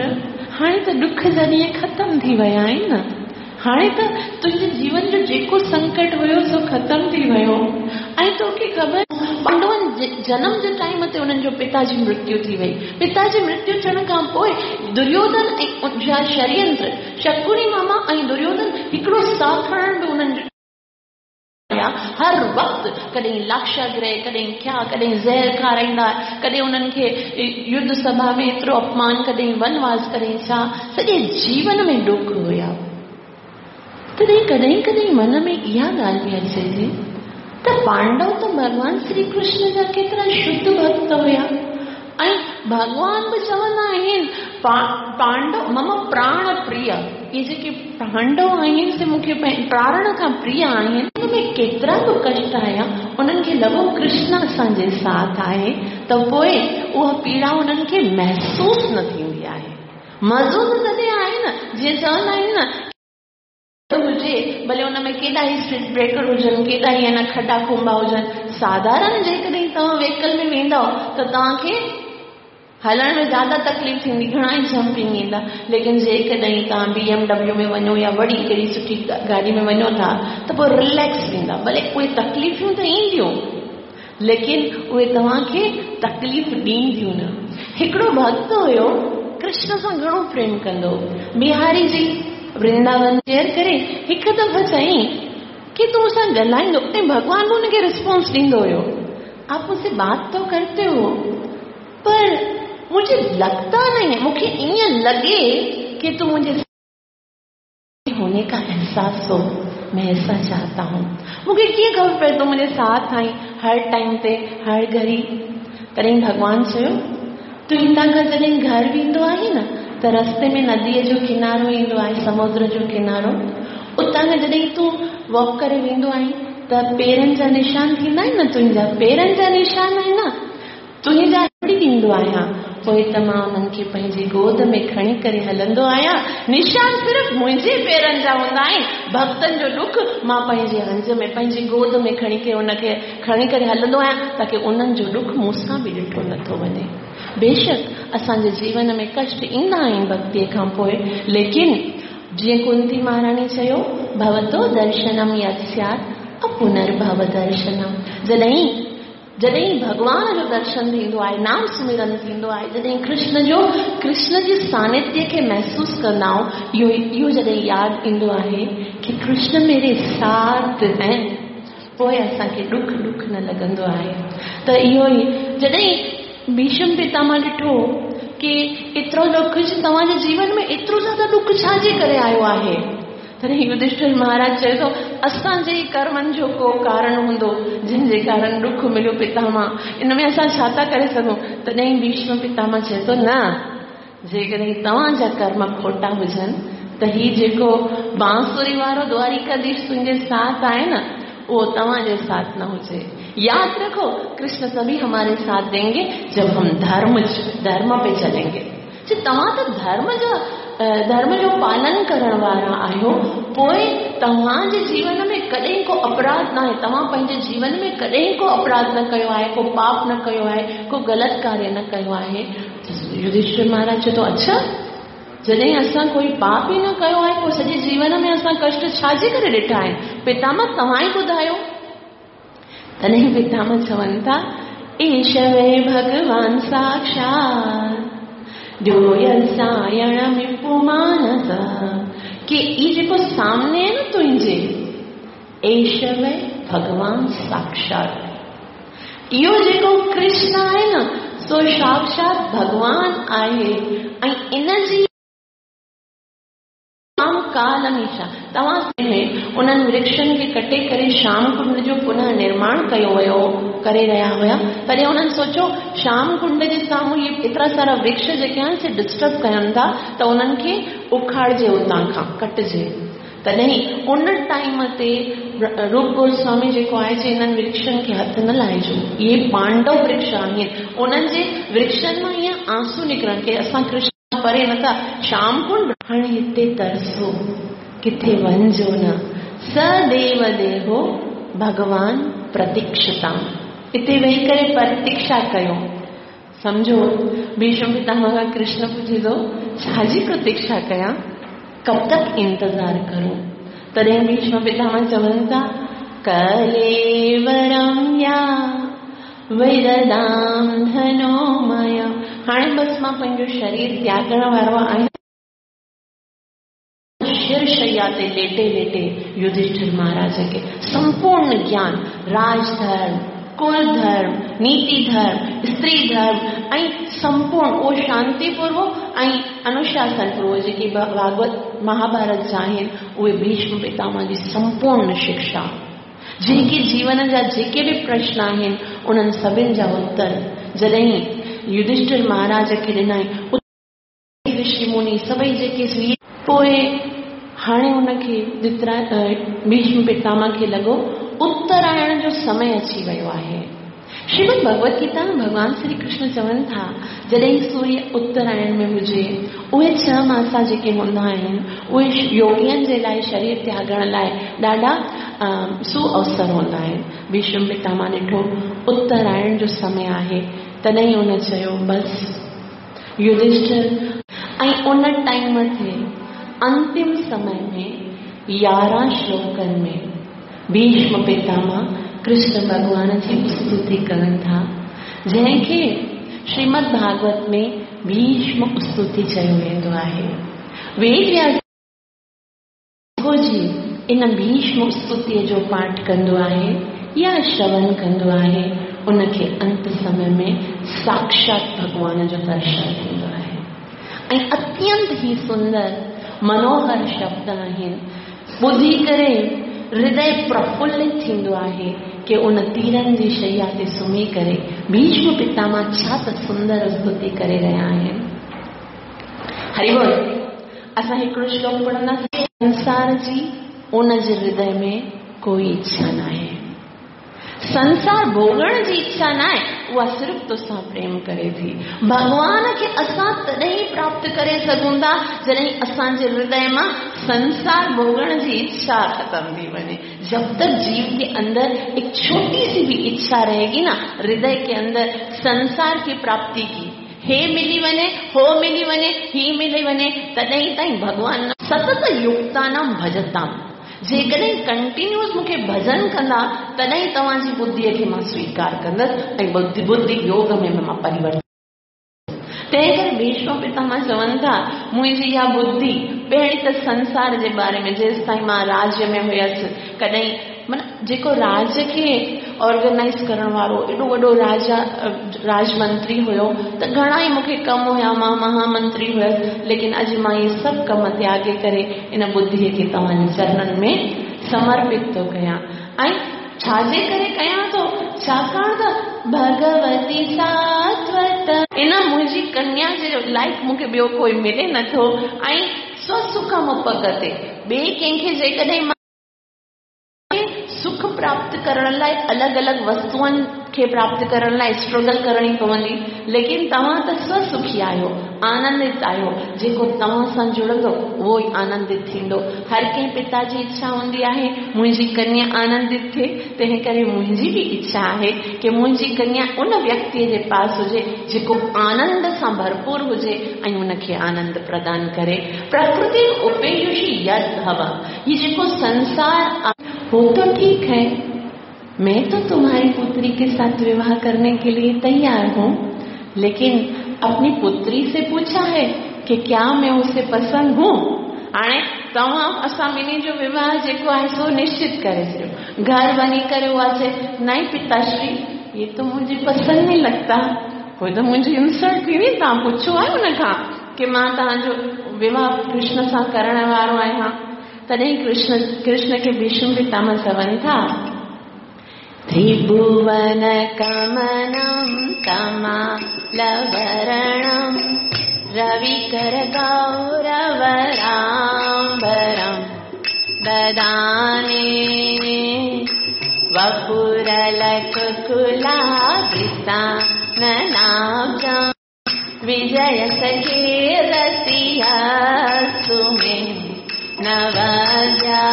हाणे त ॾुख जा ॾींहं ख़तमु थी विया आहिनि न, हाणे त तुंहिंजे जीवन जो जेको संकट हुयो सो ख़तमु थी वियो। ऐं तोखे ख़बर पांडवनि जनम जे टाइम ते उन्हनि जो पिता जी मृत्यु थी वई। पिता जी मृत्यु थियण खां पोइ दुर्योधन ऐं जा षड्यंत्र, शकुनी मामा ऐं दुर्योधन हिकिड़ो साह खणण बि उन्हनि जो हर वक़्तु, कॾहिं लाक्षागृह, कॾहिं क्या, कॾहिं ज़हर खाराईंदा, कॾहिं उन्हनि खे युद्ध सभा में एतिरो अपमान, कॾहिं वनवास, कॾहिं छा, सॼे जीवन में ॾुख हुया। तॾहिं कॾहिं कॾहिं मन में इहा ॻाल्हि बि अचे थी त पांडव त भॻवान श्री कृष्ण जा केतिरा शुद्ध भक्त हुया, ऐं भॻवान बि चवंदा आहिनि पांडव मम प्राण प्रिय, इहे जेके पांडव आहिनि से मूंखे प्राण खां प्रिय आहिनि। हुन में केतिरा बि कष्ट आया, उन्हनि खे लॻो कृष्ण असांजे साथ आहे, त पोइ उहा पीड़ा उन्हनि खे महसूसु न थींदी। मज़ो त तॾहिं आहे न, जीअं चवंदा आहिनि न हुजे, भले हुन में केॾा ई स्पीड ब्रेकर हुजनि, केॾा ई अना खॾा खुंबा हुजनि, साधारण जेकॾहिं तव्हां व्हीकल में वेंदव त तव्हांखे हलण में ज़्यादा तकलीफ़ थींदी, घणा ई जंपिंग ईंदा। लेकिन जेकॾहिं तव्हां BMW में वञो या वॾी कहिड़ी सुठी गाॾी में वञो था त पोइ रिलैक्स थींदा, भले उहे तकलीफ़ूं त ईंदियूं लेकिन उहे तव्हांखे तकलीफ़ ॾींदियूं न। हिकिड़ो भक्त हुयो, कृष्ण सां घणो प्रेम कंदो, बिहारी जी वृंदावन शेयर करे हिकु दफ़ो चयईं कि तूं मूंसां ॻाल्हाईंदो, ऐं भॻवान बि हुनखे रिस्पॉन्स ॾींदो हुयो, आप मुझसे बात तो करते हो पर मुझे लगता नहीं है, मूंखे ईअं लॻे कि तूं मुंहिंजे होने का एहसास हो, मैं ऐसा चाहता हूँ। मूंखे कीअं ख़बर पए तूं मुंहिंजे साथ आई हर टाइम ते हर घड़ी। तॾहिं भॻवान चयो तूं हितां खां जॾहिं घर वेंदो आहीं न त रस्ते में नदीअ जो किनारो ईंदो आहे, समुद्र जो किनारो, उतां खां जॾहिं तूं वॉक करे वेंदो आहीं त पेरनि जा निशान थींदा आहिनि न, तुंहिंजा पेरनि जा निशान आहिनि न, तुंहिंजा छोड़ी ॾींदो आहियाँ, पोइ त मां उन्हनि खे पंहिंजी गोद में खणी करे हलंदो आहियाँ। निशान सिर्फ़ मुंहिंजे पेरनि जा हूंदा आहिनि, भक्तनि जो ॾुख मां पंहिंजे हंज में पंहिंजी गोद में खणी करे हुनखे खणी करे हलंदो आहियाँ ताकि उन्हनि जो ॾुख मूंसां बि ॾिठो नथो वञे। बेशक असांजे जीवन में कष्ट ईंदा आहिनि भक्तीअ खां पोइ, लेकिन जीअं कुंती महाराणी चयो भवतो दर्शनम यत् स्यात् अपुनर्भव दर्शनम। जॾहिं जॾहिं भॻवान जो दर्शन थींदो आहे, नाम सुमिरन थींदो आहे, जॾहिं कृष्ण जे सानिध्य खे महसूस कंदा आहियूं, इहो जॾहिं यादि ईंदो आहे कि कृष्ण मेरे साथ हैं, पोइ असांखे ॾुख ॾुख न लॻंदो आहे। त इहो ई जॾहिं भीष्म पितामह ॾिठो कि एतिरो ॾुख तव्हांजे जीवन में एतिरो ज़्यादा ॾुख छाजे करे आयो आहे, तॾहिं युधिष्ठिर महाराज चए थो असांजे ई कर्मनि जो को कारण हूंदो जंहिंजे कारण ॾुख मिलियो पितामह, इन में असां छा था करे सघूं। तॾहिं भीष्म पितामह चए थो न, जेकॾहिं तव्हांजा कर्म खोटा हुजनि त हीउ जेको बांसुरी वारो द्वारिकाधीश तुंहिंजे साथ आहे न, उहो तव्हांजे साथ न हुजे। याद रखो कृष्ण तभी हमारे साथ देंगे जब हम धर्म पे चलेंगे। जे तव्हां त धर्म जो पालन करण वारा आहियो, पोइ तव्हांजे जीवन में कॾहिं को अपराध न आहे, तव्हां पंहिंजे जीवन में कॾहिं को अपराध न कयो आहे, को पाप न कयो आहे, को ग़लति कार्य न कयो आहे। युधिष्ठिर महाराज चए थो अच्छा, जॾहिं असां कोई पाप ई न कयो आहे पोइ सॼे जीवन में असां कष्ट छाजे करे ॾिठा आहिनि, पितामह तव्हां ई ॿुधायो। तॾहिं पितामह चवनि था ईश वे भॻवान साक्षात मानस, कि ई जेको सामने आहे न तुंहिंजे, ईश वे भॻवान साक्षात, इहो जेको कृष्ण आहे न सो साक्षात भॻवान आहे ऐं इन जी काल हमेशा तव्हां उन्हनि वृक्षनि खे कटे करे श्याम कुंड जो पुनः निर्माण कयो वियो करे रहिया हुया, तॾहिं उन्हनि सोचियो श्याम कुंड जे साम्हूं इहे एतिरा सारा वृक्ष जेके आहिनि से डिस्टर्ब कयनि था त उन्हनि खे उखाड़िजे, उतां खां कटिजे। तॾहिं उन टाइम ते रूप गोस्वामी जेको आहे चए इन्हनि वृक्षनि खे हथ न लाइजो, इहे पांडव वृक्ष आहिनि, उन्हनि जे वृक्षनि मां ईअं आंसू निकिरनि की असां कृष्ण परे नथा, श्याम कुंड हाणे हिते तरसो, किथे वञिजो न, सदेव देहो भगवान प्रतीक्षता, हिते वेही करे प्रतीक्षा कयो। सम्झो भीष्म पितामह खां कृष्ण पुछे थो छाजी प्रतीक्षा कयां, कब तक इंतज़ार करूं। तॾहिं भीष्म पितामह चवनि था कलेवरम या विददाम धनोमय, हाणे बसि मां पंहिंजो शरीर त्यागण वारो आहियां। शिरशैया ते लेटे लेटे युधिष्ठिर महाराज खे संपूर्ण ज्ञान, राजधर्म, कुल धर्म, नीति धर्म, स्त्री धर्म ऐं संपूर्ण उहो शांतिपूर्वक ऐं अनुशासन पूर्वक जेके भागवत महाभारत जा आहिनि उहे भीष्म पितामह जी संपूर्ण शिक्षा, जेके जीवन जा जेके बि प्रश्न आहिनि उन्हनि सभिनि जा उत्तर जॾहिं युधिष्ठिर महाराज खे ॾिनई, ऋषि मुनि सभई जेके, पोइ हाणे हुनखे भीष्म पितामह खे लॻो उत्तरायण जो समय अची वियो आहे। श्रीमद् भगवत गीता में भॻवान श्री कृष्ण चवनि था, जॾहिं सूर्य उत्तरायण में हुजे, उहे 6 मासा जेके हूंदा आहिनि, उहे योगियनि जे लाइ शरीर त्यागण लाइ ॾाढा सुअवसर हूंदा आहिनि। भीष्म पितामह ॾिठो उत्तरायण जो समय आहे, तॾहिं हुन चयो बसि युधिष्ठिर। ऐं उन टाइम ते अंतिम समय में 11 श्लोकनि में भीष्म पितामह कृष्ण भॻवान जी स्तुति कनि था, जंहिंखे श्रीमद् भागवत में भीष्म स्तुति चयो वेंदो आहे। वेद व्यास जी इन भीष्म स्तुतीअ जो पाठ कंदो आहे या श्रवण कंदो आहे, उनखे अंत समय में साक्षात भॻवान जो दर्शन थींदो आहे। ऐं अत्यंत ही सुंदर मनोहर शब्द आहिनि, ॿुधी करे हृदय प्रफुल्लित थींदो आहे कि उन तीरनि जी शैया ते सुम्ही करे भीष्म पितामह छा त सुंदर स्तुति करे रहिया आहिनि। हरि बोल। असां हिकिड़ो श्लोक पढ़ंदासीं। संसार जी उन जे हृदय में कोई इच्छा न आहे, संसार भोगण जी इच्छा न आहे, उहा सिर्फ़ तोसां प्रेम करे थी। भॻवान खे असां तॾहिं प्राप्त करे सघूं था जॾहिं असांजे हृदय मां संसार भोगण जी इच्छा खत्म थी वञे। जब तक जीव के अंदर एक छोटी सी भी इच्छा रहेगी ना, हृदय के अंदर संसार की प्राप्ति की, हे मिली वञे, हो मिली वञे, ही मिली वञे, तॾहिं ताईं भॻवान सतत युक्तानां भजताम। जेकॾहिं कंटिन्यूअस मूंखे भजन कंदा तॾहिं तव्हांजी बुद्धिअ खे मां स्वीकार कंदसि ऐं बुद्धि योग में मां परिवर्तन। तंहिं करे भीष्म पितामह चवनि था, मुंहिंजी इहा बुद्धि पहिरीं त संसार जे बारे में, जेसि ताईं मां राज्य में हुयसि, कॾहिं माना जेको राज खे ऑर्गेनाइज़ करण वारो एॾो वॾो राजा राजमंत्री हुयो, त घणा ई मूंखे कम हुया, मां महामंत्री हुयसि, लेकिन अॼु मां इहे सभु कम त्यागे करे इन बुद्धिअ खे तव्हांजे चरणनि में समर्पित थो कयां। ऐं छाजे करे कयां थो? छाकाणि त भगवती सात्वत इन मुंहिंजी कन्या जे लाइक़ मूंखे ॿियो कोई मिले नथो। ऐं स्वसुखम उपगते, ॿिए कंहिंखे जेकॾहिं सुख प्राप्त करण लाइ अलॻि अलॻि वस्तुअनि खे प्राप्त करण लाइ स्ट्रगल करणी पवंदी, लेकिन तव्हां त स्वसुखी आहियो, आनंदित आहियो। जेको तव्हां सां जुड़ंदो उहो ई आनंदित थींदो। हर कंहिं पिता जी इच्छा हूंदी आहे मुंहिंजी कन्या आनंदित थिए, तंहिं करे मुंहिंजी बि इच्छा आहे कि मुंहिंजी कन्या उन व्यक्तिअ जे पास हुजे जेको आनंद सां भरपूर हुजे ऐं उनखे आनंद प्रदान करे। प्रकृति उपेयुषी यद हवा, हीउ जेको संसार वो तो ठीक है, मैं तो तुम्हारी पुत्री के साथ विवाह करने के लिए तैयार हूँ, लेकिन अपनी पुत्री से पूछा है कि क्या मैं उसे पसंद हूँ? हाणे तव्हां असां ॿिन्ही जो विवाह जेको आहे सो निश्चित करे छॾियो। घर वञी करे उहा चए, नहीं पिताश्री, ये तो मुझे पसंद नहीं लगता। पोइ त मुंहिंजी इंसल्ट थी वई। तव्हां पुछो आहे हुन खां कि मां तव्हांजो विवाह कृष्ण सां करण वारो आहियां। तॾहिं कृष्ण खे भीष्म पितामह चवनि था, त्रिभुवन कमनम कमालवरणम रविकर गौरवराम्बरम ददाने वपुरलकुकुलावृताननाब्जं विजय सखे रसिया सुमे नवजा।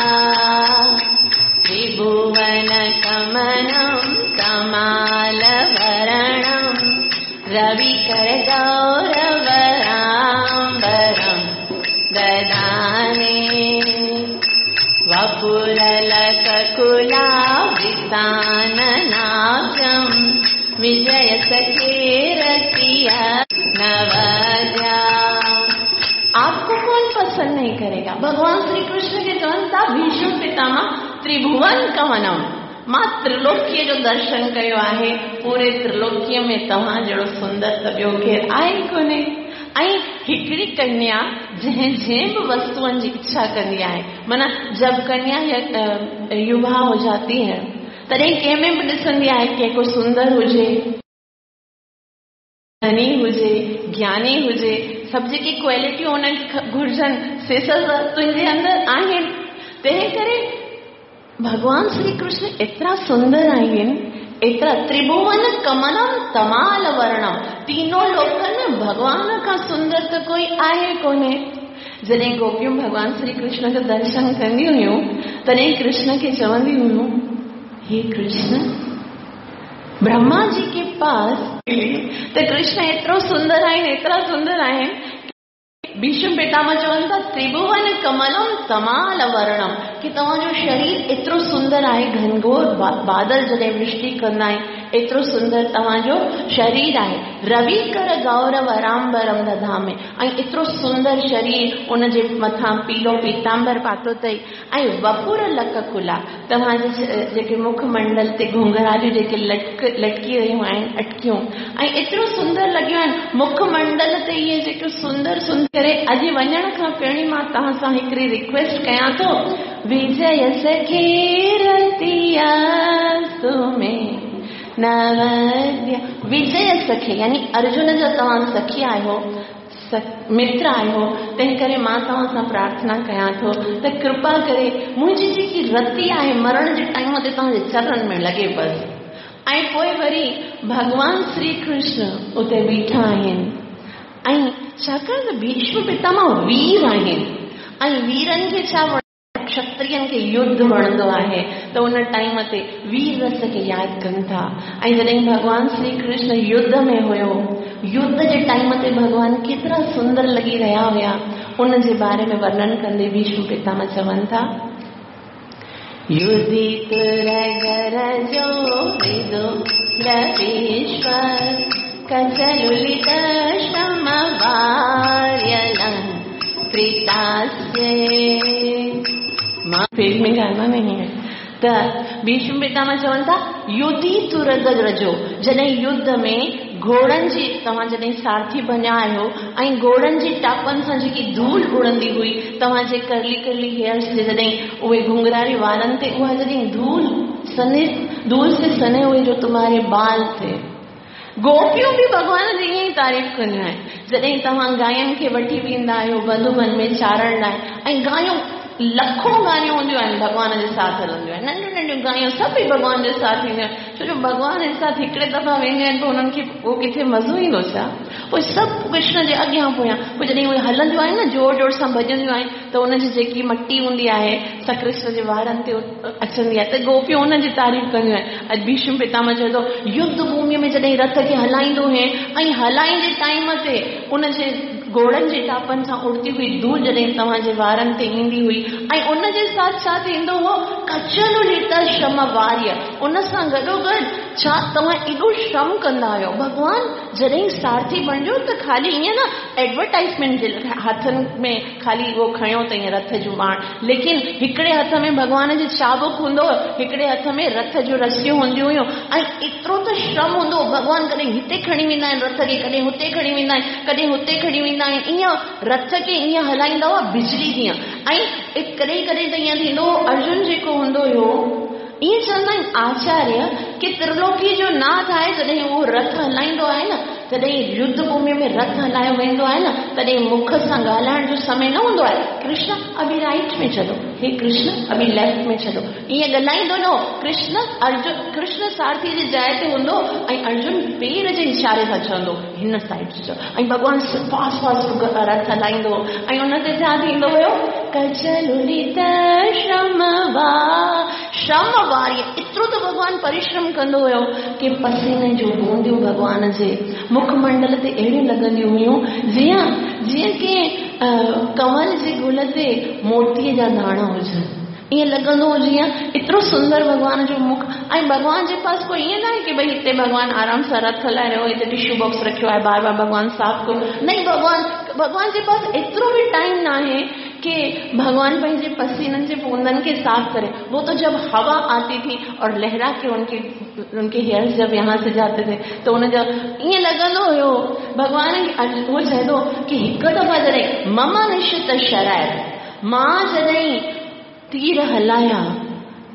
त्रिभुवन कमनं कमालवरणं रविकर गौरवराम्बरं ददाने वपुरलकुकुलावृताननाब्जं विजय सखे रसिया नवजा। आपको कौन पसंद नहीं करेगा? भगवान श्री कृष्ण के चवनि था भीष्म पितामह त्रिभुवन कवनम, मां त्रिलोकीअ जो दर्शन कयो आहे, पूरे त्रिलोकीअ में तव्हां जहिड़ो सुंदर त ॿियो केरु आहे ई कोन्हे। ऐं हिकिड़ी कन्या जंहिं जंहिं बि वस्तुअनि जी इच्छा कंदी आहे, माना जब कन्या युवा हो जाती है तॾहिं कंहिं में बि ॾिसंदी आहे कि को सुंदर हुजे, धनी हुजे, ज्ञानी हुजे, सभु जेकी क्वालिटियूं हुनखे घुर्जनि से सभु तुंहिंजे अंदरि आहिनि। तंहिं करे भॻवान श्री कृष्ण एतिरा सुंदर आहिनि एतिरा त्रिभुवन कमलम तमाल वर्णम, तीनों लोकनि में भॻवान खां सुंदर त कोई आहे कोन्हे। जॾहिं गोपियूं भॻवान श्री कृष्ण जो दर्शन कंदियूं हुयूं तॾहिं कृष्ण खे चवंदी हुयूं, हे कृष्ण, ब्रह्मा जी के पास त कृष्ण एतिरो सुंदर आहिनि, एतिरा सुंदर आहिनि। भीष्म पितामह चवनि था त्रिभुवन कमलम तमाल वर्णम, की तव्हांजो शरीर एतिरो सुंदर आहे, घनघोर बादल जॾहिं वृष्टि कंदा आहिनि एतिरो सुंदर तव्हांजो शरीर आहे। रवि कर गौरव रामबरम दधामे, ऐं एतिरो सुंदर शरीर, उनजे मथां पीलो पीतांबर पातो अथई, ऐं वपुर लक कुला, तव्हांजे जेके मुखमंडल ते घुंघरालियूं जेके लटकी रहियूं आहिनि, अटकियूं, ऐं एतिरो सुंदर लॻियूं आहिनि मुखमंडल ते इहे जेके सुंदर सुंदर करे। अॼु वञण खां पहिरीं मां तव्हां सां हिकिड़ी रिक्वेस्ट कयां थो, विजय सखे रतिया सुमे नवद्य, विजय सखे यानी अर्जुन जा तव्हां सखी आहियो, मित्र आहियो, तंहिं करे मां तव्हां सां प्रार्थना कयां थो त कृपा करे मुंहिंजी जेकी रति आहे मरण जे टाइम ते तव्हांजे चरणनि में लॻे बसि। ऐं पोइ वरी भॻवान श्री कृष्ण उते बीठा आहिनि, ऐं छाकाणि त भीष्म पितामह वीर आहिनि, ऐं वीरनि खे छा क्षत्रियनि खे युद्ध वणंदो आहे, त उन टाइम ते वीर रस खे यादि कनि था। ऐं जॾहिं भॻवान श्री कृष्ण युद्ध में हुयो, युद्ध जे टाइम ते भॻवान केतिरा सुंदर लॻी रहिया हुया, उन जे बारे में वर्णन कंदे भीष्म पितामह चवनि था, युधि तुरगरजो विदो रवीश्वर कचलुलित श्रमवार्यलं कृतास्ये। मां पेज में गाना नहीं है। त भीष्म पितामह चवनि था युधि तुरगरजो, जॾहिं युद्ध में घोड़नि जी तव्हां जॾहिं सारथी बणिया आहियो ऐं घोड़नि जी टापनि सां जेकी धूल उड़ंदी हुई तव्हांजे कर्ली कर्ली हेयर्स ते, जॾहिं उहे घुंघरारी वारनि ते उहा जॾहिं धूल सने, धूल से सने हुए जो तुम्हारे बाल थे। गोपियूं बि भॻवान जी ईअं ई तारीफ़ कंदियूं आहिनि। जॾहिं तव्हां गायुनि खे वठी वेंदा आहियो मधुबन में चारण लाइ, ऐं गायूं लखों गायूं हूंदियूं आहिनि भॻवान जे साथ हलंदियूं आहिनि, नंढियूं नंढियूं गायूं सभई भॻवान जे साथ ईंदियूं आहिनि, छो जो भॻवान जे साथ हिकिड़े दफ़ा वेंदियूं आहिनि पोइ हुननि खे उहो किथे मज़ो ईंदो छा? पोइ सभु कृष्ण जे अॻियां पोयां, पोइ जॾहिं उहे हलंदियूं आहिनि न, ज़ोर ज़ोर सां भॼंदियूं आहिनि, त उनजी जेकी मटी हूंदी आहे सा कृष्ण जे वारनि ते अचंदी आहे, त गोपियूं उनजी तारीफ़ कंदियूं आहिनि। अॼु भीष्म पितामह चए थो युद्ध भूमिअ में जॾहिं रथ खे हलाईंदो हुए ऐं हलाईंदे टाइम ते उनजे घोड़नि जे टापनि सां उड़ती हुई धूल जॾहिं तव्हांजे वारनि ते ईंदी हुई, ऐं उनजे साथ छा थींदो हो, कचलुलित श्रम वार्य, उन सां गॾोगॾु छा तव्हां एॾो श्रम कंदा आहियो। भॻवान जॾहिं सारथी बणिजो त ख़ाली ईअं न एडवर्टाइज़मेंट जे हथनि में ख़ाली उहो खयो त ईअं रथ जो बाण, लेकिन हिकिड़े हथ में भॻवान जो चाबुक हूंदो, हिकिड़े हथ में रथ जूं रसियूं हूंदियूं हुयूं, ऐं एतिरो त श्रम हूंदो, भॻवान कॾहिं हिते खणी वेंदा आहिनि रथ खे, कॾहिं हुते खणी वेंदा आहिनि, कॾहिं हुते खणी वेंदा आहिनि, ईअं रथ खे ईअं हलाईंदा हुआ बिजली जीअं। ऐं कॾहिं कॾहिं त ईअं थींदो हो, अर्जुन जेको हूंदो हुयो, ईअं चवंदा आहिनि आचार्य की त्रिलोकी जो नाथ आहे, जॾहिं उहो रथ हलाईंदो आहे न, तॾहिं युद्ध भूमि में रथ हलायो वेंदो आहे न, तॾहिं मुख सां ॻाल्हाइण जो समय न हूंदो आहे, कृष्ण अभी राइट में चलो, हे कृष्ण अभी लेफ्ट में चलो, ईअं ॻाल्हाईंदो न हो। कृष्ण अर्जुन, कृष्ण सारथी जी जाइ ते हूंदो ऐं अर्जुन पेर जे इशारे सां चवंदो हिन साइड चलो, ऐं भॻवान फास्ट फास्ट रथ हलाईंदो, ऐं उन ते छा थींदो हुयो, कचलुलित श्रम श्रम वारी, एतिरो त भॻवान परिश्रम कंदो हुयो की पसीने जूं बूंदियूं भॻवान जे मुखमंडल ते अहिड़ियूं लॻंदियूं हुयूं जीअं जीअं कंहिं कंवल जे गुल ते मोतीअ जा दाणा हुजनि, ईअं लॻंदो हो जीअं एतिरो सुंदर भॻवान जो मुख। ऐं भॻवान जे पास कोई ईअं न आहे की भई हिते भॻवान आराम सां रथ हलाए रहियो, हिते टिश्यू बॉक्स रखियो आहे, बार बार भॻवान साफ़ कयो, नहीं, भॻवान भॻवान जे पास एतिरो बि टाइम न आहे कि भगवान पंहिंजे पसीननि जे बूंदनि खे साफ़ करे। वो तो जब हवा आती थी और लहरा के उनके उनके हेयर्स जब यहाँ से जाते थे तो उनजो ईअं लॻंदो हुयो भॻवान उहो चए थो की हिकु दफ़ा जॾहिं मम निश्चित शराय, मां जॾहिं तीर हलाया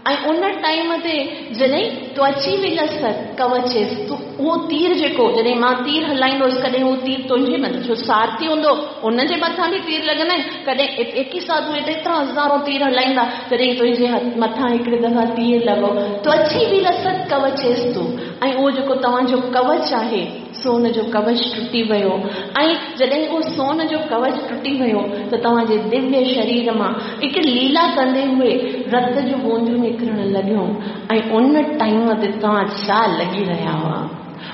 ऐं उन टाइम ते जॾहिं त्वची विलस कवचेस, तूं उहो तीर जेको जॾहिं मां तीर हलाईंदो हुउसि कॾहिं उहो तीर तुंहिंजे मथां, छो सारथी हूंदो उनजे मथां बि तीर लॻंदा आहिनि, कॾहिं एक साथ उहे एतिरा हज़ारो तीर हलाईंदा, तॾहिं तुंहिंजे मथां हिकिड़े दफ़ा तीर लॻो, त्वची विलस कवचेस्तु ऐं उहो जेको तव्हांजो कवच आहे सोन जो कवच टुटी वियो। ऐं जॾहिं उहो सोन जो कवच टुटी वियो त तव्हांजे दिव्य शरीर मां हिकु लीला कंदे हुए रत जूं बूंदियूं निकिरण लॻियूं। ऐं उन टाइम ते तव्हां छा लॻी रहिया हुआ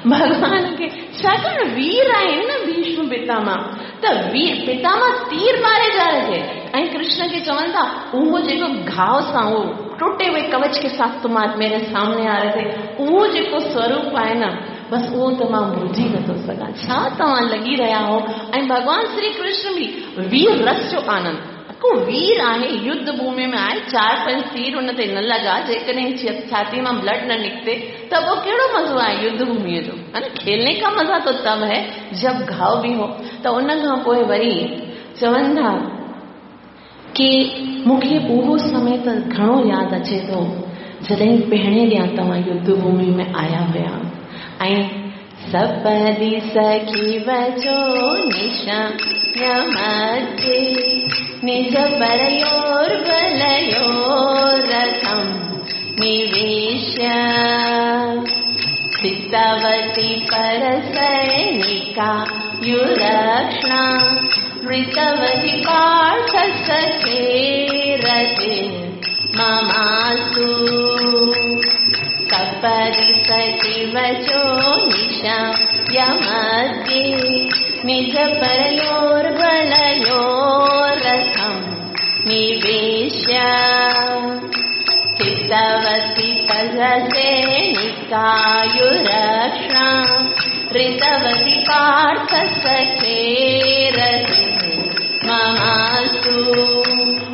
भॻवान खे, छाकाणि वीर आहिनि न भीष्म पितामह, त वीर पितामह तीर मारे जा रहे थे। ऐं कृष्ण खे चवनि था उहो जेको घाव सां उहो टुटे हुए कवच के साथ तुम आज मेरे सामने आ रहे थे, उहो जेको स्वरूप आहे न बस उहो त मां भुलिजी नथो सघां। छा तव्हां लॻी रहिया हो। ऐं भॻवान श्री कृष्ण बि वीर रस जो आनंद, को वीर आहे, युद्ध भूमि में आहे, 4-5 तीर उन ते न लॻा, जेकॾहिं छाती मां ब्लड न निकिते त पोइ कहिड़ो मज़ो आहे युद्ध भूमिअ जो, है न। खेलने का मज़ा तो तब है जब घाव भी हो। त उन खां पोइ वरी चवनि था की मूंखे उहो समय त घणो यादि अचे थो जॾहिं पहिरें ॾींहुं तव्हां युद्ध भूमि में आया हुया। ऐं सपदी सखी वचो निशा मध्ये निज परयोर बलयोर रथम निवेश्य सीतावती पर सैनिका युरक्षणा ऋतवती पार्थ सखे रथे ममासु। सपदि सखी वचो निशा यमध्ये निज परयोर बलयोर रथम निवेश्य सीतावती परसैनिकायुरक्षणा ऋतवती पार्थ सखे रथे ममासु।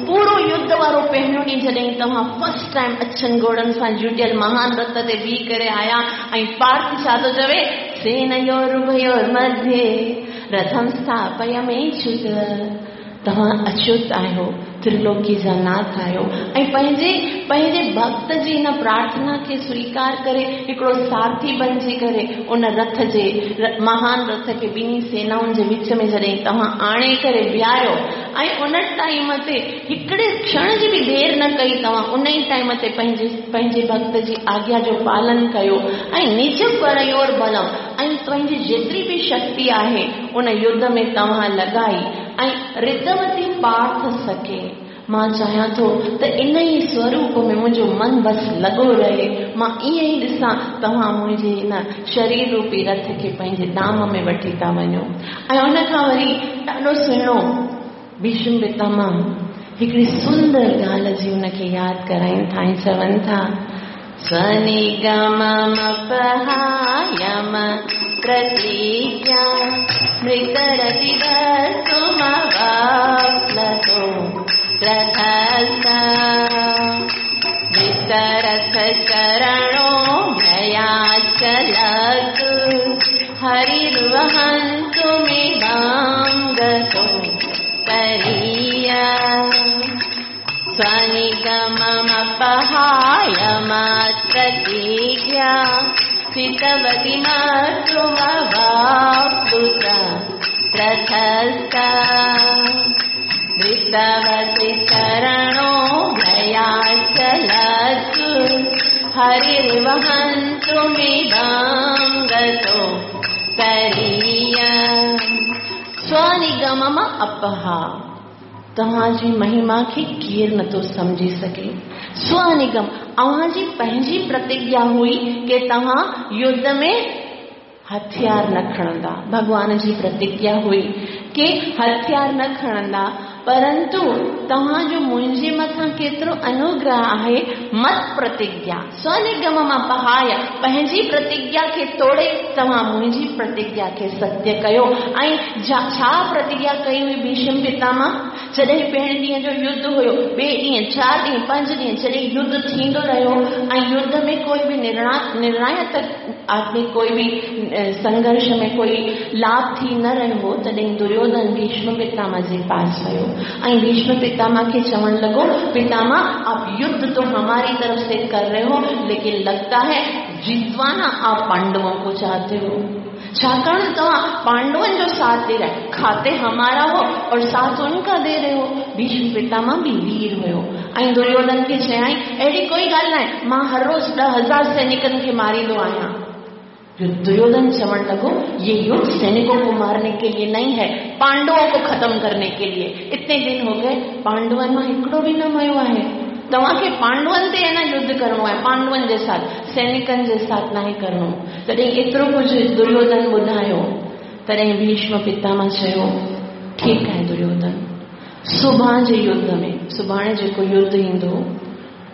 पूरो युद्ध वारो पहिरियों ॾींहुं जॾहिं तव्हां फर्स्ट टाइम अछनि घोड़नि सां जुटियल महान रथ ते बीह करे आया ऐं पार्थ छा थो चवे, सेनयोरुभयोर्मध्ये रथम स्थापय मेच्युत। तव्हां अच्युत आहियो, त्रिलोकी जा नाथ आहियो ऐं पंहिंजे पंहिंजे भक्त जी हिन प्रार्थना खे स्वीकार करे हिकिड़ो सारथी बणिजी करे उन रथ जे महान रथ खे ॿिन्ही सेनाउनि जे विच में जॾहिं तव्हां आणे करे बीहारियो ऐं उन टाइम ते हिकिड़े क्षण जी बि देरि न कई, तव्हां उन ई टाइम ते पंहिंजे पंहिंजे भक्त जी आज्ञा जो पालन कयो ऐं निज परयोर बलम ऐं पंहिंजी जेतिरी बि शक्ति आहे उन युद्ध में तव्हां लॻाई ऐं ऋतवती पार्थ सखे। मां चाहियां थो त इन ई स्वरूप में मुंहिंजो मन बसि लॻो रहे, मां ईअं ई ॾिसां तव्हां मुंहिंजे हिन शरीर रूपी रथ खे पंहिंजे धाम में वठी था वञो। ऐं उन खां वरी ॾाढो सुहिणो भीष्म पितामह हिकिड़ी सुंदर ॻाल्हि जी उनखे यादि कराइनि था ऐं चवनि था, स्वनिगममपहायम प्रतिज्ञा मृतरतिवस्तुमवाप्लतो रथस्थ वितरथचरणो भयाचलतु हरिर्वहन्तुमिदां गतो तरीया। स्वनिगममपहाय प्रतिज्ञा स्थितवती मातृमवाप्लुत रथस्थ ऋतवती चरणो भयाचलतु हरिर्वहन्तुमिदां गतो तरीया। स्वनिगमम अपहा तव्हांजी महिमा खे केरु नथो सम्झी सघे। स्वनिगम अव्हांजी पंहिंजी प्रतिज्ञा हुई की तव्हां युद्ध में हथियार न खणंदा। भॻवान जी प्रतिज्ञा हुई की हथियार न खणंदा, परंतु तव्हांजो मुंहिंजे मथां केतिरो अनुग्रह आहे, मत प्रतिज्ञा स्वनिगम मां पहाय पंहिंजी प्रतिज्ञा खे तोड़े तव्हां मुंहिंजी प्रतिज्ञा खे सत्य कयो। ऐं छा प्रतिज्ञा कई हुई भीष्म पितामह? जॾहिं पहिरें ॾींहं जो युद्ध हुयो, ॿिए ॾींहुं, 4 ॾींहं, 5 ॾींहं जॾहिं युद्ध थींदो रहियो ऐं युद्ध में कोई बि निर्णायक आदमी कोई बि संघर्ष में कोई लाभ थी न रहियो हो, तॾहिं दुर्योधन भीष्म पितामह जे पास वियो ऐं भीष्म पितामह खे चवणु लॻो, पितामह आप युद्ध तो हमारी तरफ से कर रहे हो, लेकिन लगता है जितवाना आप पांडवों को चाहते हो। छाकाणि त तव्हां पांडवनि जो साथ ॾेई रहिया, खाते हमारा हो और साथ उनका दे रहे हो। भीष्म पितामह बि वीर हुयो ऐं दुर्योधन खे चयाईं अहिड़ी कोई ॻाल्हि न आहे, मां हर रोज़ 10,000 सैनिकनि खे मारींदो आहियां। दुर्योधन चवण लॻो, ये युद्ध सैनिकों को मारने के लिए नहीं है, पांडवों को खत्म करने के लिए। इतने दिन हो गए पांडवनि मां हिकिड़ो बि न मयो आहे, तव्हांखे पांडवनि ते अञा युद्ध करिणो आहे, पांडवनि जे साथ, सैनिकनि जे साथ नाहे करिणो। तॾहिं एतिरो कुझु दुर्योधन ॿुधायो, तॾहिं भीष्म पितामह चयो, ठीकु आहे दुर्योधन, सुभाणे जे युद्ध में, सुभाणे जेको युद्ध ईंदो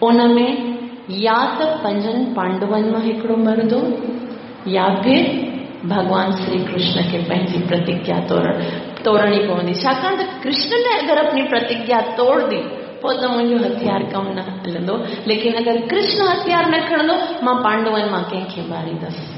उन में या त पंजनि पांडवनि मां हिकिड़ो मरंदो या फिर भॻवान श्री कृष्ण खे पंहिंजी प्रतिज्ञा तोड़णी पवंदी। छाकाणि त कृष्ण ने अगरि अपनी प्रतिज्ञा तोड़ दी पोइ त मुंहिंजो हथियार कमु न हलंदो, लेकिन अगरि कृष्ण हथियार न खणंदो मां पांडवनि मां कंहिंखे मारींदसि।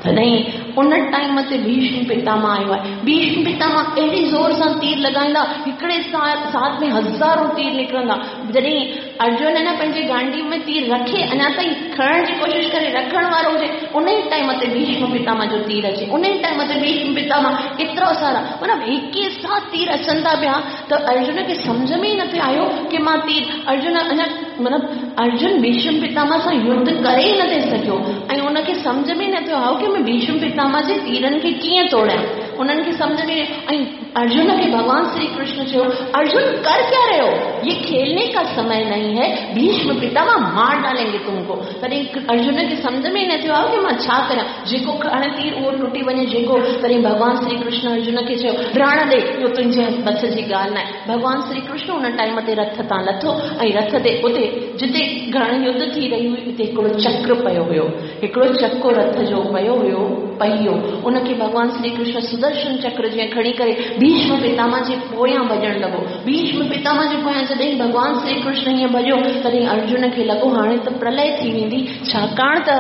तॾहिं उन टाइम ते भीष्म पितामह आयो आहे। भीष्म पितामह अहिड़ी ज़ोर सां तीर लॻाईंदा, हिकिड़े साथ में हज़ारों तीर निकिरंदा। जॾहिं अर्जुन अञा पंहिंजे गांडी में तीर रखे, अञा ताईं खणण जी कोशिशि करे रखण वारो हुजे, उन ई टाइम ते भीष्म पितामह जो तीर अचे, उन ई टाइम ते भीष्म पितामह एतिरा सारा माना हिक साथ तीर अचनि था पिया, त अर्जुन खे सम्झ में ई न पियो आयो की मां तीर अर्जुन अञा माना अर्जुन भीष्म पितामह सां युद्ध करे ई न थी सघियो ऐं उनखे सम्झ में न पियो आयो की मां भीष्म पितामह जे तीरनि खे कीअं तोड़ियां, उन्हनि खे सम्झ में। ऐं अर्जुन खे भॻवान श्री कृष्ण चयो, अर्जुन कर क्या रहे हो, ये खेलने का समय नहीं है, भीष्म पितामह मार डालेंगे तुमको। तॾहिं अर्जुन खे सम्झ में न थियो आयो की मां छा करियां, जेको हाणे तीर उहो टुटी वञे जेको। तॾहिं भॻवान श्री कृष्ण अर्जुन खे चयो, राण ॾे, इहो तुंहिंजे बस जी ॻाल्हि न आहे। भॻवान श्री कृष्ण उन टाइम ते रथ तां लथो ऐं रथ ते उते जिते घणो युद्ध थी रही हुई उते हिकिड़ो चक्र पियो हुयो, हिकिड़ो चको रथ जो पियो हुयो पहियो, उनखे भॻवान श्री कृष्ण सुदर्शन चक्र जीअं खणी करे भीष्म पितामह जे पोयां भॼण लॻो। भीष्म पितामह जे पोयां जॾहिं भॻवान श्री कृष्ण हीअं भॼियो, तॾहिं अर्जुन खे लॻो हाणे त प्रलय थी वेंदी, छाकाणि त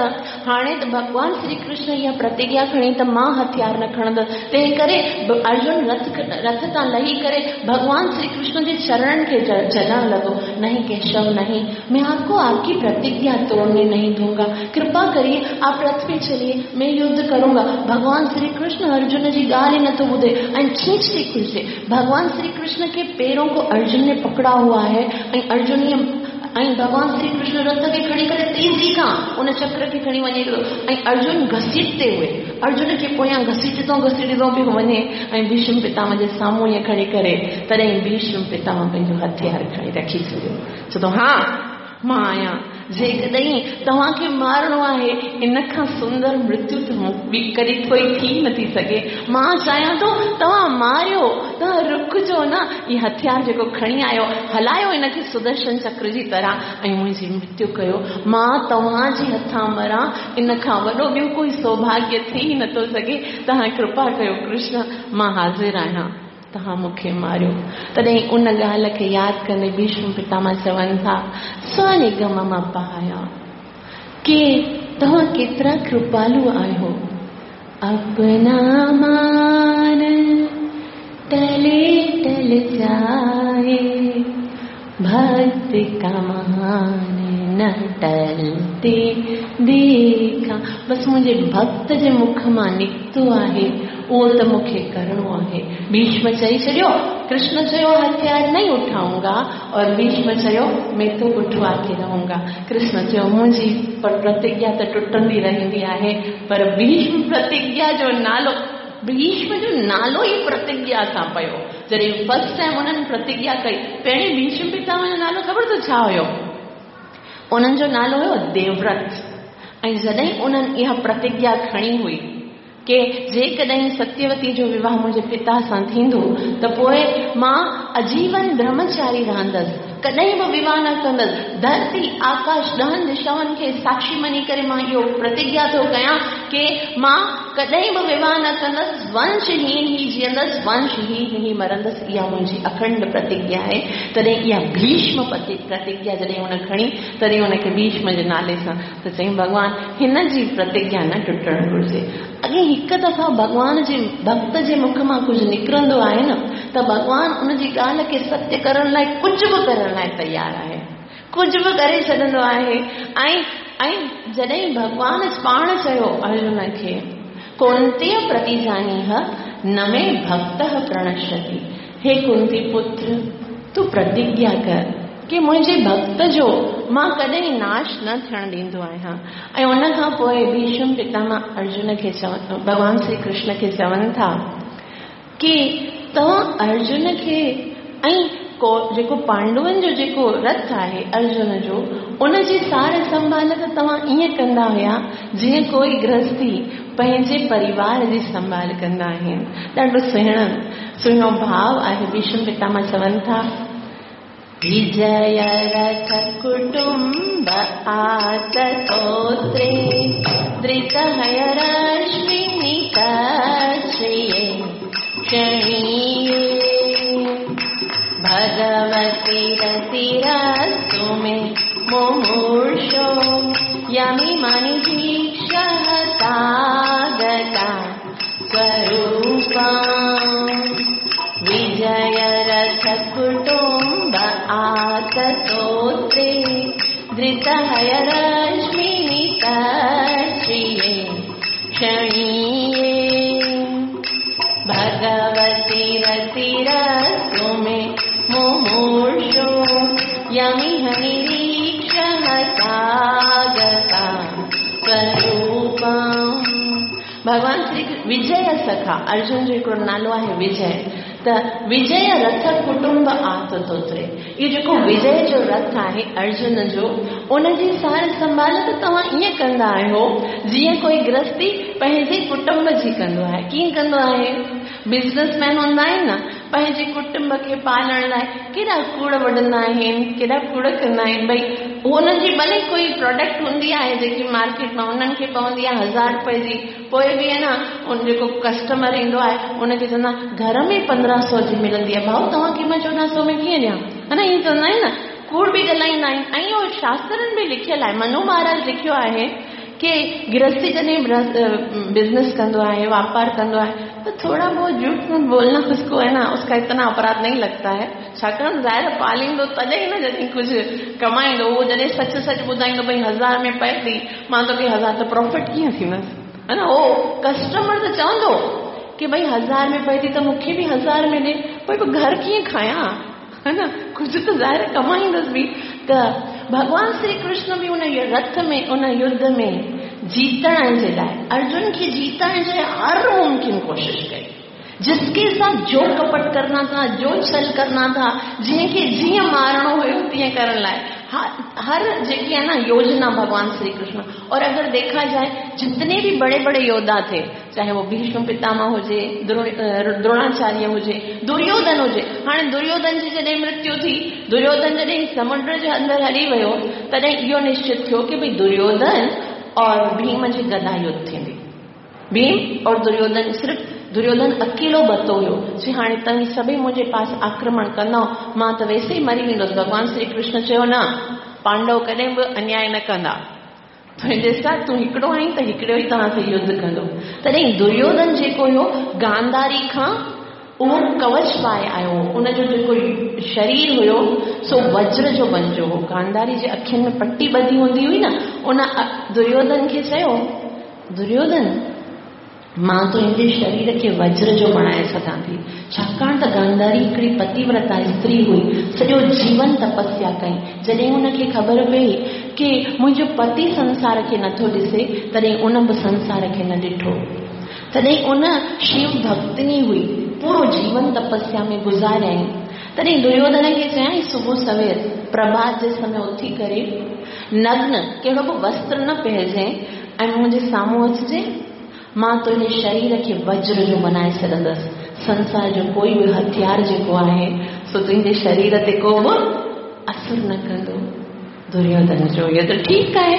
हाणे त भॻवान श्री कृष्ण इहा प्रतिज्ञा खणी त मां हथियार न खणंदसि। तंहिं करे अर्जुन रथ तां लही करे भॻवान श्री कृष्ण जे चरणनि खे जॻण लॻो, नहीं केशव नहीं, मैं आपको आपकी प्रतिज्ञा तोड़ने नहीं दूंगा, कृपा करिए आप रथ पे चलिए, मैं युद्ध करूंगा। भगवान श्री कृष्ण अर्जुन जी ॻाल्हि नथो ॿुधे ऐं खींचते खुलसे भगवान श्री कृष्ण के पैरों को अर्जुन ने पकड़ा हुआ है ऐं अर्जुन ऐं भगवान श्री कृष्ण रथ खे खणी करे तेज़ी खां उन चक्र खे खणी वञे थो ऐं अर्जुन घसीटते हुए अर्जुन खे पोयां घसीटंदो घसीटंदो पियो वञे ऐं भीष्म पितामह जे साम्हूं ईअं खणी करे। तॾहिं भीष्म पितामह पंहिंजो हथियार खणी रखी छॾियो, चए थो हा मां आहियां, जेकॾहिं तव्हांखे मारणो आहे इन खां सुंदर मृत्यु त ॿी कॾहिं कोई थी नथी सघे। मां चाहियां थो तव्हां मारियो, तव्हां रुकिजो न, इहो हथियार जेको खणी आयो हलायो इनखे सुदर्शन चक्र जी तरह ऐं मुंहिंजी मृत्यु कयो, मां तव्हांजे हथां मरां, इन खां वॾो ॿियो कोई सौभाग्य थी नथो सघे। तव्हां कृपा कयो कृष्ण, मां हाज़िर आहियां, तव्हां मूंखे मारियो। तॾहिं उन ॻाल्हि खे यादि कंदे भीष्म पितामह चवनि था, स्वनिगम मां पाया के तव्हां केतिरा कृपालु आहियो, अपना मान टले टल जाए, भक्त का मान न टलते देखा। बसि मुंहिंजे भक्त जे मुख मां निकितो आहे उहो त मूंखे करिणो आहे। भीष्म चई छॾियो, कृष्ण चयो हथियार नहीं उठाऊंगा और भीष्म चयो मैं तो उठवा के रहूंगा। कृष्ण चयो मुंहिंजी पर प्रतिज्ञा त टुटंदी रहंदी आहे, पर भीष्म प्रतिज्ञा जो नालो, भीष्म जो नालो ई प्रतिज्ञा सां पियो। जॾहिं फर्स्ट टाइम उन्हनि प्रतिज्ञा कई, पहिरीं भीष्म पितामह जो नालो ख़बर त छा हुयो? उन्हनि जो नालो हुयो देवव्रत। ऐं जॾहिं उन्हनि इहा प्रतिज्ञा खणी हुई की जेकॾहिं सत्यवती जो विवाह मुंहिंजे पिता सां थींदो त पोइ मां आजीवन ब्रह्मचारी रहंदसि, कॾहिं बि विवाह न कंदसि, धरती आकाश ॾहनि दिशाउनि खे साक्षी मञी करे मां इहो प्रतिज्ञा थो कयां की मां कॾहिं बि विवाह न कंदसि, वंशहीन ई जीअंदसि, वंशहीन ई मरंदसि, इहा मुंहिंजी अखंड प्रतिज्ञा आहे। तॾहिं इहा भीष्म प्रतिज्ञा जॾहिं हुन खणी, तॾहिं हुनखे भीष्म जे नाले सां त चयईं भॻवान हिन जी प्रतिज्ञा न टुटणु घुरिजे। अॻे हिकु दफ़ा भॻवान जे भक्त जे मुख मां कुझु निकिरंदो आहे न, त भॻवान उनजी ॻाल्हि खे सत्य करण लाइ कुझु बि करण लाइ तयारु आहे, कुझु बि करे छॾंदो आहे। ऐं ऐं जॾहिं भॻवान पाण चयो अर्जुन खे कौंतेय प्रतिजानीह न मे भक्तः प्रणश्यति। हे कुंती पुत्र, तूं प्रतिज्ञा कर की मुंहिंजे भक्त जो मां कॾहिं नाश न थियण ॾींदो आहियां। ऐं उन खां पोइ भीष्म पितामह अर्जुन खे चवनि, भॻवान श्री कृष्ण खे चवनि था की तव्हां अर्जुन खे ऐं जेको पांडवनि जो जेको रथ आहे अर्जुन जो, उनजी सार संभाल त तव्हां ईअं कंदा हुया जीअं कोई गृहस्थी पंहिंजे परिवार जी संभाल कंदा आहिनि। ॾाढो सुहिणो भाव आहे। भीष्म पितामह चवनि था, विजय रथ कुटुंब आततोत्रे धृतहय रश्मिनि कक्षये क्षणीये भगवती रतिरस्तु मे मुमूर्षो यमिमनि दीक्षहतागता स्वरूपा। विजय रथ कुटुंब आततोत्रे धृतहय रश्मिनि कक्षये क्षणीये भगवती रतिरस्तु मे मुमूर्षो यमिह निरीक्षहतागता स्वरूपा। भॻवान श्री विजय सखा, अर्जुन जो हिकिड़ो नालो आहे विजय, त विजय रथ कुटुंब आततोत्रे, इहो जेको विजय जो रथ आहे अर्जुन जो, उनजी सार संभाल त तव्हां ईअं कंदा आहियो जीअं कोई गृहस्थी पंहिंजे कुटुंब जी कंदो आहे। कीअं कंदो आहे? बिज़नेसमैन हूंदा आहिनि न, पंहिंजे कुटुंब खे पालण लाइ केॾा कूड़ वढंदा आहिनि, केॾा कूड़ कंदा आहिनि। भई उन्हनि जी भले कोई प्रोडक्ट हूंदी आहे जेकी मार्केट मां उन्हनि खे पवंदी आहे 1000 रुपए जी, पोइ बि आहे न उन जेको कस्टमर ईंदो आहे उनखे चवंदा घर में 1500 जी मिलंदी आहे, भाऊ तव्हांखे मां 1400 में कीअं ॾियां, हा न, ईअं चवंदा आहिनि न, कूड़ बि ॻाल्हाईंदा आहिनि। ऐं इहो शास्त्रनि में लिखियलु आहे, मनु महाराज लिखियो आहे की गृहस्थी जॾहिं बिज़नेस कंदो आहे, वापार कंदो आहे, त थोड़ा बहुत झूठ मूठ बोलना उसको है ना, उसका इतना अपराध नहीं लगता है। छाकाणि ज़ाहिर पालींदो तॾहिं न जॾहिं कुझु कमाईंदो, उहो जॾहिं सच सच ॿुधाईंदो भई 1000 में पए थी, मां तोखे 1000 त प्रॉफिट कीअं थींदसि, है न। उहो कस्टमर त चवंदो की भई 1000 में पए थी त मूंखे बि 1000 में ॾे, पोइ घर कीअं खायां, है न, कुझु त ज़ाहिर कमाईंदुसि बि। त भॻवान श्री कृष्ण बि उन रथ में, उन युद्ध में जीतण जे लाइ, अर्जुन खे जीतण जे लाइ हर मुमकिन कोशिश कई। जिसके साथ जो कपट करना था, जो छल करना था, जंहिंखे जीअं मारणो हुयो तीअं करण लाइ हर जेकी आहे ना योजना भगवान श्री कृष्ण। और अगर देखा जाए जितने भी बड़े बड़े योद्धा थे, चाहे वो भीष्म पितामह हुजे, द्रोणाचार्य हुजे, दुर्योधन हुजे। हाणे दुर्योधन जी जॾहिं मृत्यु थी, दुर्योधन जॾहिं समुंड जे अंदरि हली वियो, तॾहिं इहो निश्चित थियो की भई दुर्योधन और भीम जी गदा युद्ध थींदी। भीम और दुर्योधन, सिर्फ़ दुर्योधन अकेलो बतो हुयो, चई हाणे तव्हीं सभई मुंहिंजे पास आक्रमण कंदव, मां त वैसे ई मरी वेंदुसि। भॻवान श्री कृष्ण चयो न, पांडव कॾहिं बि अन्याय न कंदा, तुंहिंजे सां तूं हिकिड़ो आहीं त हिकिड़ो ई तव्हां सां युद्ध कंदो। तॾहिं दुर्योधन जेको हुयो गांधारी खां उहो कवच पाए आयो हो, उनजो जेको शरीर हुयो सो वज्र जो बणियो हो। गांधारी जे अखियुनि में पट्टी ॿधी हूंदी हुई न, उन दुर्योधन खे चयो, दुर्योधन मां तुंहिंजे शरीर खे वज्र जो बणाए सघां थी, छाकाणि त गांधारी हिकिड़ी पतिव्रता स्त्री हुई, सॼो जीवन तपस्या कई। जॾहिं हुनखे ख़बर पई की मुंहिंजो पति संसार खे नथो ॾिसे, तॾहिं उन बि संसार खे न ॾिठो। तॾहिं उन शिव भक्तिनी हुई, पूरो जीवन तपस्या में गुज़ारियईं। तॾहिं दुर्योधन खे चयईं सुबुह सवेर प्रभात जे समय उथी करे नग्न कहिड़ो बि वस्त्र न पहिरिजांइ ऐं मुंहिंजे साम्हूं अचिजांइ, मां तुंहिंजे शरीर खे वज्र जो बनाए छॾंदुसि। संसार जो कोई बि हथियार जेको आहे सो तुंहिंजे शरीर ते को बि असरु न कंदो। दुर्योधन जो इहो त ठीकु आहे,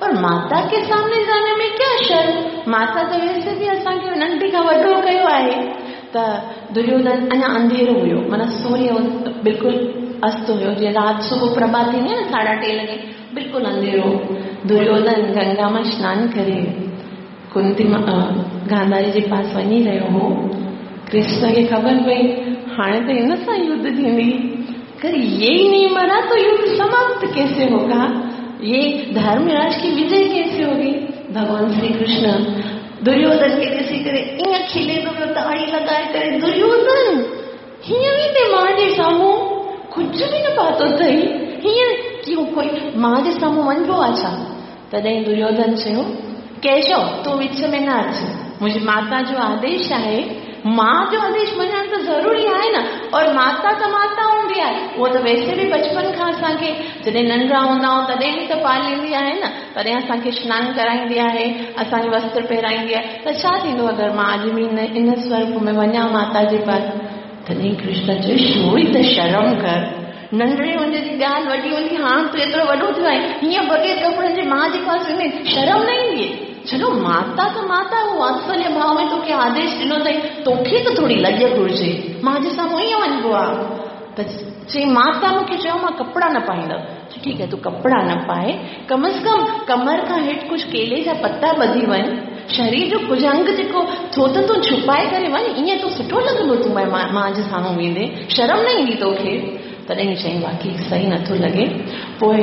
पर माता के सामने जाने में क्या शर्म, माता त वैसे बि असांखे नंढी खां वॾो कयो आहे। त दुर्योधन अञा अंधेरो हुयो, माना सूर्य बिल्कुलु अस्त हुयो, जीअं राति सुबुह प्रभात थींदी आहे न 3:30 लॻे, बिल्कुलु अंधेरो। दुर्योधन गंगा मां सनानु करे कुंती गांधारी जे पास वञी रहियो हो। कृष्ण खे ख़बर पई हाणे त हिन सां युद्ध थींदी, अगर ये ही नहीं मरा तो युद्ध समाप्त कैसे होगा, ये धर्मराज की विजय कैसे होगी। भगवान श्री कृष्ण دريوڌن کي ڏسي ڪري ائين کلي ٿو پيو تاڙي لڳائي ڪري، دريوڌن هيئن ويندي ماء جي سامهون ڪجهه به نه پاتو اٿئي، هيئن ڪيئن ڪوئي ماء جي سامهون وڃبو آهي ڇا؟ تڏهن دريوڌن چيو، ڪيشو تون وچ ۾ نه اچ، منهنجي ماتا جو آديش آهي، ماء جو آديش مڃڻ ته ضروري آهي نه، اور ماتا ته ماتا هوندي آهي، اها ته ويسي به بچپن کان اسان کي جڏهن ننڍڙا هوندا آهيون تڏهن به ته پاليندي آهي نه، تڏهن اسان کي سنان ڪرائيندي آهي، اسان کي وستر پهرائيندي آهي، ته ڇا ٿيندو اگر مان اڄ به ان سوروپ ۾ وڃان ماتا جي پاس؟ تڏهن ڪرشن چيو، ٿوري ته شرم ڪر، ننڍڙي هوندي جي ڳالهه وڏي هوندي، هاڻ تون ايترو وڏو ٿيو آهين، هيئن بغير ڪپڙن جي ماء جي پاس ويندين، شرم نه ايندي؟ ڇڏو ماتا ته ماتا، هو واتسليه ڀاو ۾ توکي آديش ڏنو اٿئي، توکي ته ٿوري لڄ گهرجي، ماء جي سامهون ائين وڃبو آهي؟ ته چيائين، ماتا مون کي چيو مان ڪپڙا نه پائيندس. چيو، ٺيڪ آهي تون ڪپڙا نه پاء، ڪم از ڪم ڪمر کان هيٺ ڪجهه ڪيلي جا پتا ٻڌي وڃ، شرير جو ڪجهه انگ جيڪو ٿو ته تون ڇپائي ڪري وڃ، ائين تو سٺو لڳندو تون ماء جي سامهون ويندين، شرم نه ايندي توکي. تڏهن چيائين، واقعي صحيح نٿو لڳي. پوء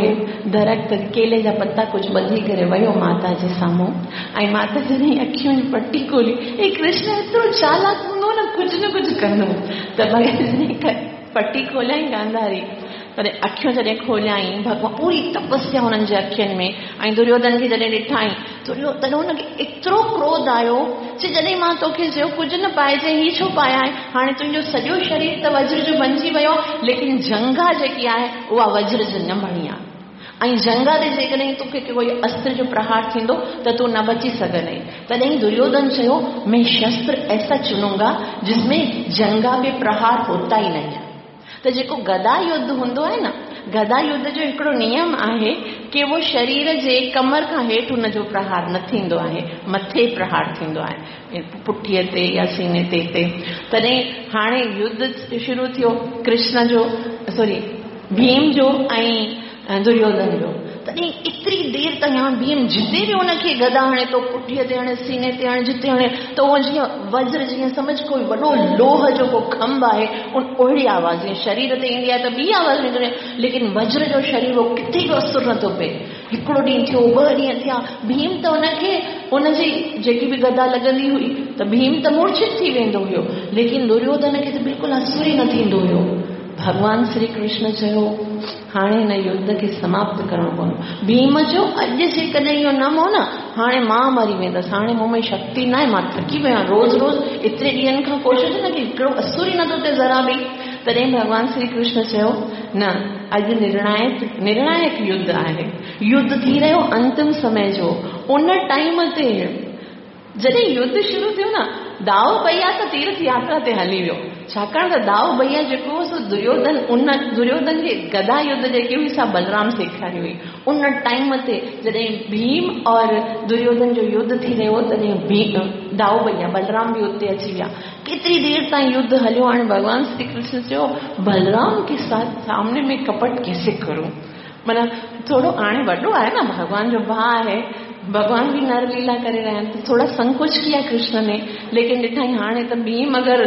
درخت ڪيلي جا پتا ڪجهه ٻڌي ڪري ويو ماتا جي سامهون ۽ ماتا جڏهن اکين جي پٽي کولي، هي ڪرشن ايترو چالاڪ هوندو نه ڪجهه نه ڪجهه ڪندو ته بغير پٽي کوليائين گانڌاري تڏهن اکيون جڏهن کوليائين ڀڳوان پوري تپسيا هنن جي اکين ۾ ۽ دريوڌن کي جڏهن ڏٺائين تڏهن هن کي ايترو ڪروڌ آيو چي جڏهن مان توکي چيو ڪجهه نه پائجي هي ڇو پايا آهي هاڻي تنهنجو سڄو شرير ته وجر جو بنجي ويو آهي ليڪن جنگها جيڪي آهي اها وجر جي نه بڻي آهي ۽ جنگها تي جيڪڏهن توکي ڪوئي استر جو پرهار ٿيندو ته تون نه بچي سگهندين. تڏهن دريوڌن چيو مين شستر ايسا چنونگا جس ۾ جنگها پي پرهار هوتا ئي نهين. ته جيڪو گدا يڌ هوندو آهي نه، گدا يڌ جو هڪڙو نيم آهي ڪي اهو شرير جي ڪمر کان هيٺ ان جو پرهار نه ٿيندو آهي، مٿي پرهار ٿيندو آهي، پٺيء تي يا سيني تي تي. تڏهن هاڻي يڌ شروع ٿيو ڪرشن جو سوري ڀيم جو ۽ دريوڌن جو. تڏهن ايتري دير تائين هاڻ ڀيم جتي به ان کي گدا هڻي ٿو، پٺيء تي هڻي، سيني تي هڻي، جتي هڻي ته اهو جيئن وجر جيئن سمجهه ڪوئي وڏو لوهه جو ڪو کنڀ آهي، ان اهڙي آواز جيئن شرير تي ايندي آهي ته ٻي آواز نڪرندي آهي، ليڪن وجر جو شرير اهو ڪٿي به اثر نه ٿو پئي. هڪڙو ڏينهن ٿيو، ٻه ڏينهن ٿيا، ڀيم ته ان کي ان جي جيڪي به گدا لڳندي هئي ته ڀيم ته مورڇت ٿي ويندو هيو، ليڪن دريوڌن کي ته بلڪل اثر ئي نه ٿيندو هيو. ڀڳوان شري ڪرشن چيو، هاڻي هن يڌ کي سماپت ڪرڻو پوندو. ڀيم چيو، اڄ جيڪڏهن اهو نه مئو نه، هاڻي مان مري ويندس. هاڻي مون ۾ شڪتي ناهي، مان ٿڪي پيو آهيان. روز روز ايتري ڏينهن کان ڪوشش نه ڪئي، هڪڙو اثر ئي نٿو ٿئي ذرا به. تڏهن ڀڳوان شري ڪرشن چيو، نه، اڄ نرڻائڪ نرڻائڪ يڌ آهي. يڌ ٿي رهيو انتم سمي جو. ان ٽائيم تي جڏهن يڌ شروع ٿيو نه، دائو ڀئيا ته تيرٿ ياترا تي هلي ويو. ڇاڪاڻ ته دائو ڀئيا جيڪو هو سو دريوڌن ان دريوڌن کي گدا يڌ جيڪي هئي سا بلرام سيکاري هئي. ان ٽائيم تي جڏهن ڀيم اور دريوڌن جو يڌ ٿي رهيو هو تڏهن ڀيم دائو ڀئيا بلرام به اتي اچي ويا. ڪيتري دير تائين يڌ هليو هاڻي ڀڳوان شري ڪرشن چيو بلرام ڪي ساٿ سامني ۾ ڪپٽ ڪيسي ڪرون؟ معنيٰ ٿورو هاڻي وڏو آهي نه ڀڳوان جو ڀاء آهي ڀڳوان به نر ليلا ڪري رهيا آهن ته ٿورا سنڪوچ ڪيا ڪرشن ني ليڪن ڏٺائين هاڻي ته ڀيم اگر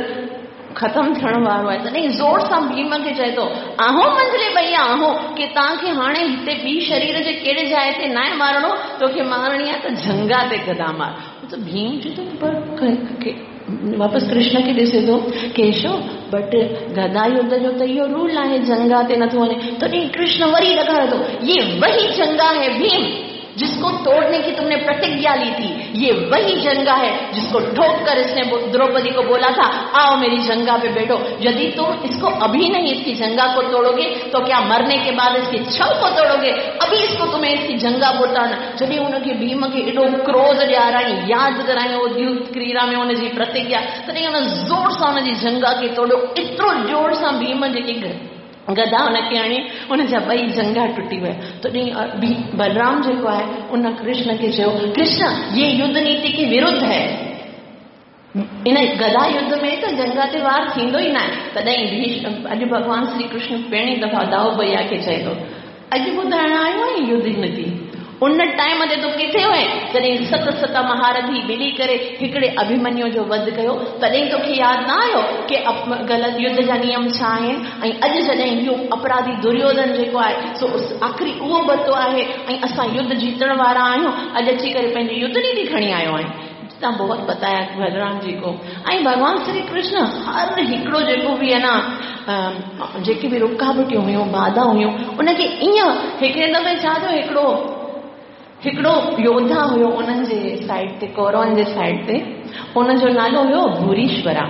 ختم ٿيڻ وارو آهي تڏهن زور سان ڀيم کي چئي ٿو آهو منجهلي ڀئيا آهو ڪي توهان کي هاڻي هتي ٻي شرير جي ڪهڙي جاء تي ناهي مارڻو توکي مارڻي آهي ته جهنگا تي گدا مار ته ڀيم چئي ٿو پر واپس ڪرشن کي ڏسي ٿو ڪيشو بٽ گدا يڌ جو ته اهو رول آهي جهنگا تي نٿو وڃي تڏهن ڪرشن وري ڏکاري ٿو يي وهي جهنگا هي ڀيم جس ڪو توڙني ڪي تم ني پرتگيا لي ٿي يي وهي جهنگا هي جس ڪو ٺوڪ ڪر اس ني دروپدي ڪو بولا ٿا آئو ميري جهنگا پي بيٺو يدي تم اس ڪو اڀي نهين اس ڪي جهنگا ڪو توڙوگي تو ڪيا مرني ڪي بعد اس ڪي ڇو ڪو توڙوگي اڀي اس ڪو تمهين اس ڪي جهنگا ڪو توڙنا جڏهن هن کي ڀيم کي ايڏو ڪروڌ ڏيارائين، ياد ڪرايائين اهو ديوت ڪريڙا ۾ هن جي پرتگيا، تڏهن هن زور سان هن جي جهنگا کي توڙيو، ايترو زور سان ڀيم جيڪي گدا هن کي هڻي، هن جا ٻئي جهنگا ٽٽي ويا. تڏهن بلرام جيڪو آهي، ان ڪرشن کي چيو، ڪرشن! يي يڌ نيتي ڪي ورڌ هي. ان گدا يڌ ۾ ته جهنگا تي وار ٿيندو ئي ناهي. تڏهن ڀيشم اڄ ڀڳوان شري ڪرشن پهرين دفعا دائو ڀئيا کي چئي ٿو، اڄ ٻڌائڻ آيو آهين يڌ نيتي؟ ان ٽائيم تي تون ڪٿي هئين؟ جڏهن ست ست مهارٿي ملي ڪري هڪڙي اڀيمنيو جو وڌ ڪيو، تڏهن توکي ياد نه آيو ڪي غلط يڌ جا نيم ڇا آهن؟ ۽ اڄ جڏهن اهو اپراڌي دريوڌن جيڪو آهي سو آخري اهو بتو آهي ۽ اسان يڌ جيتڻ وارا آهيون، اڄ اچي ڪري پنهنجي يڌ نيتي کڻي آيو آهين. इतना बहुत बताया बलराम जी को। ऐं भॻवान श्री कृष्ण हर हिकिड़ो जेको बि आहे न, जेके बि रुकावटियूं हुयूं, बाधा हुयूं, उनखे ईअं हिकिड़े दफ़े छा थियो, हिकिड़ो हिकिड़ो योद्धा हुयो उन्हनि जे साइड ते, कौरवनि जे साइड ते, उनजो नालो हुयो भूरीश्वरा।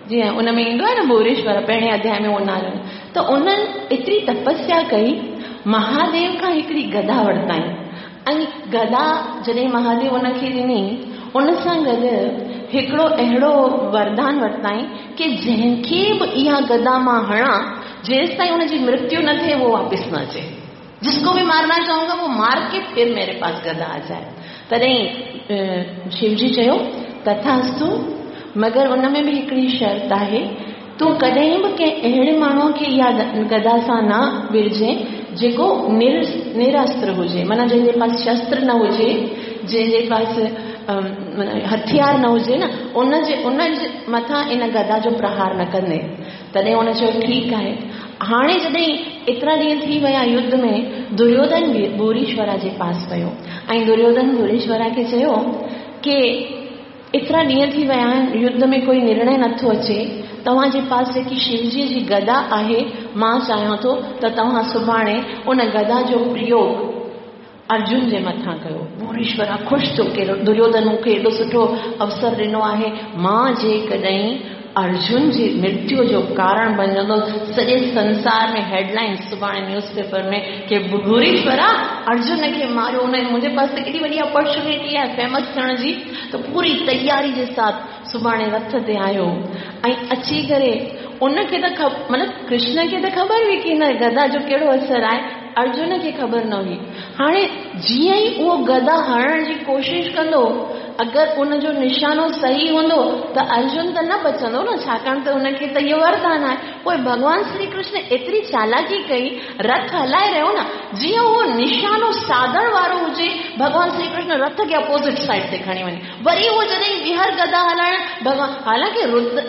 जीअं उन में ईंदो आहे न भूरीश्वरा, पहिरें अध्याय में उहो नालो। त उन्हनि एतिरी तपस्या कई, महादेव खां हिकिड़ी गदा वरिताई ऐं गदा जॾहिं महादेव उनखे ॾिनी, उन सां गॾु हिकिड़ो अहिड़ो वरदान वरिताई की जंहिंखे बि इहा गदा मां हणां, जेसि ताईं उनजी मृत्यु न थिए उहो वापसि न अचे। जिसको भी मारना चाहूंगा वो मार के फिर मेरे पास गदा आ जाए। तॾहिं शिवजी चयो तथास्तु, मगर उन में बि हिकिड़ी शर्त आहे, तूं कॾहिं बि कंहिं अहिड़े माण्हूअ खे इहा गदा सां न विरजे जेको निरस्त्र हुजे, माना जंहिंजे पास शस्त्र न हुजे, जंहिंजे पास हथियार न हुजे न, उनजे मथां इन गदा जो प्रहार न कंदे। तॾहिं हुन चयो ठीकु आहे। हाणे जॾहिं एतिरा ॾींहं थी विया युद्ध में, दुर्योधन बि भूरीश्वरा जे पास वियो ऐं दुर्योधन भूरीश्वरा खे चयो की एतिरा ॾींहं थी विया आहिनि, युद्ध में कोई निर्णय नथो अचे, तव्हांजे पास जेकी शिवजीअ जी गदा आहे, मां चाहियां थो त तव्हां सुभाणे उन गदा जो प्रयोग अर्जुन जे मथां कयो। भूरीश्वरा ख़ुशि थियो की दुर्योधन मूंखे एॾो सुठो अवसर ॾिनो आहे, मां जेकॾहिं अर्जुन जी मृत्यु जो कारण बणजंदो, सॼे संसार में हेडलाइन सुभाणे न्यूज़पेपर में की भूरीश्वरा अर्जुन खे मारियो, उन मुंहिंजे पास त केॾी वॾी अपॉर्चुनिटी आहे फेमस थियण जी। त पूरी तयारी जे साथ सुभाणे रथ ते आयो ऐं अची करे उनखे त मतिलबु कृष्ण खे त ख़बर हुई की हिन गदा जो कहिड़ो असरु आहे, अर्जुन खे ख़बर न हुई। हाणे जीअं ई उहो गदा हणण जी कोशिशि कंदो, अगरि उनजो निशानो सही हूंदो त अर्जुन त न बचंदो न, छाकाणि त उनखे त इहो वरदान आहे। पोइ भॻवान श्री कृष्ण एतिरी चालाकी कई, रथ हलाए रहियो न, जीअं उहो निशानो साधण वारो हुजे, भॻवान श्री कृष्ण रथ खे अपोज़िट साइड ते खणी वञे। वरी उहो जॾहिं ॿीहर गदा हलाइण भॻवान, हालांकि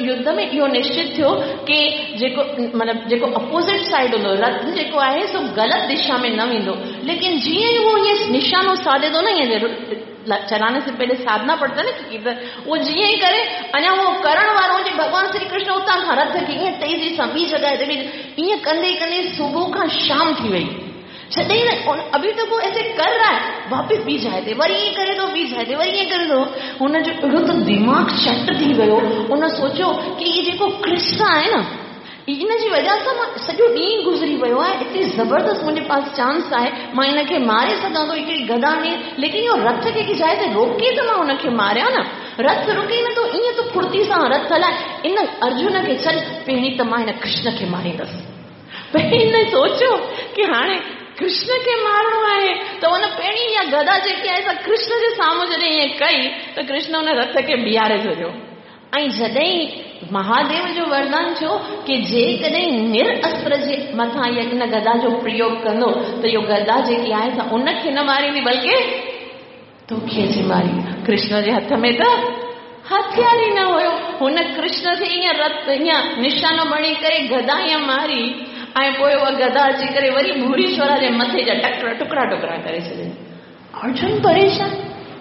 युद्ध में इहो निश्चित थियो की जेको मतिलबु जेको अपोज़िट साइड हूंदो, रथ जेको आहे सो ग़लति दिशा में न वेंदो, लेकिन जीअं ई उहो ईअं निशानो साधे थो न, ईअं चलाने से पहले साधना पड़ता है ना कि किधर, वो जीअं ई करे, अञा उहो करण वारो हुजे, भॻवान श्री कृष्ण उतां खां रथ खे ईअं तेज़ी सां ॿी जॻह ते बि ईअं कंदे कंदे सुबुह खां शाम थी वई। जॾहिं न अभी तक वो ऐसे कर रहा है, वापसि ॿी जाइ ते वरी ईअं करे थो, ॿी जाइ ते वरी ईअं करे थो, हुनजो अहिड़ो त दिमाग़ चट थी वियो। हुन सोचियो की इहो जेको कृष्ण आहे न, इन जी वजह सां मां सॼो ॾींहुं गुज़री वियो आहे, एतिरी ज़बरदस्त मुंहिंजे पास चांस आहे, मां हिनखे मारे सघां थो हिकिड़ी गदा में, लेकिन इहो रथ खे कंहिं जाइ ते रोके त मां हुनखे मारियां न, रथ रुके नथो, ईअं त फुर्ती सां रथ हलाए इन अर्जुन खे छॾ, पहिरीं त मां हिन कृष्ण खे मारींदसि। पहिरीं हिन सोचियो की हाणे कृष्ण खे मारणो आहे, त हुन पहिरीं इहा गदा जेकी आहे सा कृष्ण जे साम्हूं जॾहिं ईअं कई त कृष्ण हुन रथ खे बीहारे छॾियो। ऐं जॾहिं महादेव जो वरदान थियो की जेकॾहिं निरअस्त्र जे मथां इहा इन गदा जो प्रयोग कंदो त इहो गदा जेकी आहे सा उनखे न मारींदी बल्कि तोखे अची मारींदी। कृष्ण जे हथ में त हथियार ई न हुयो, हुन कृष्ण खे ईअं रथ ईअं निशानो बणी करे गदा ईअं मारी ऐं पोइ उहा गदा अची करे वरी भूरीश्वरा जे मथे जा टुकड़ा टुकड़ा करे छॾियईं। अर्जुन परेशान,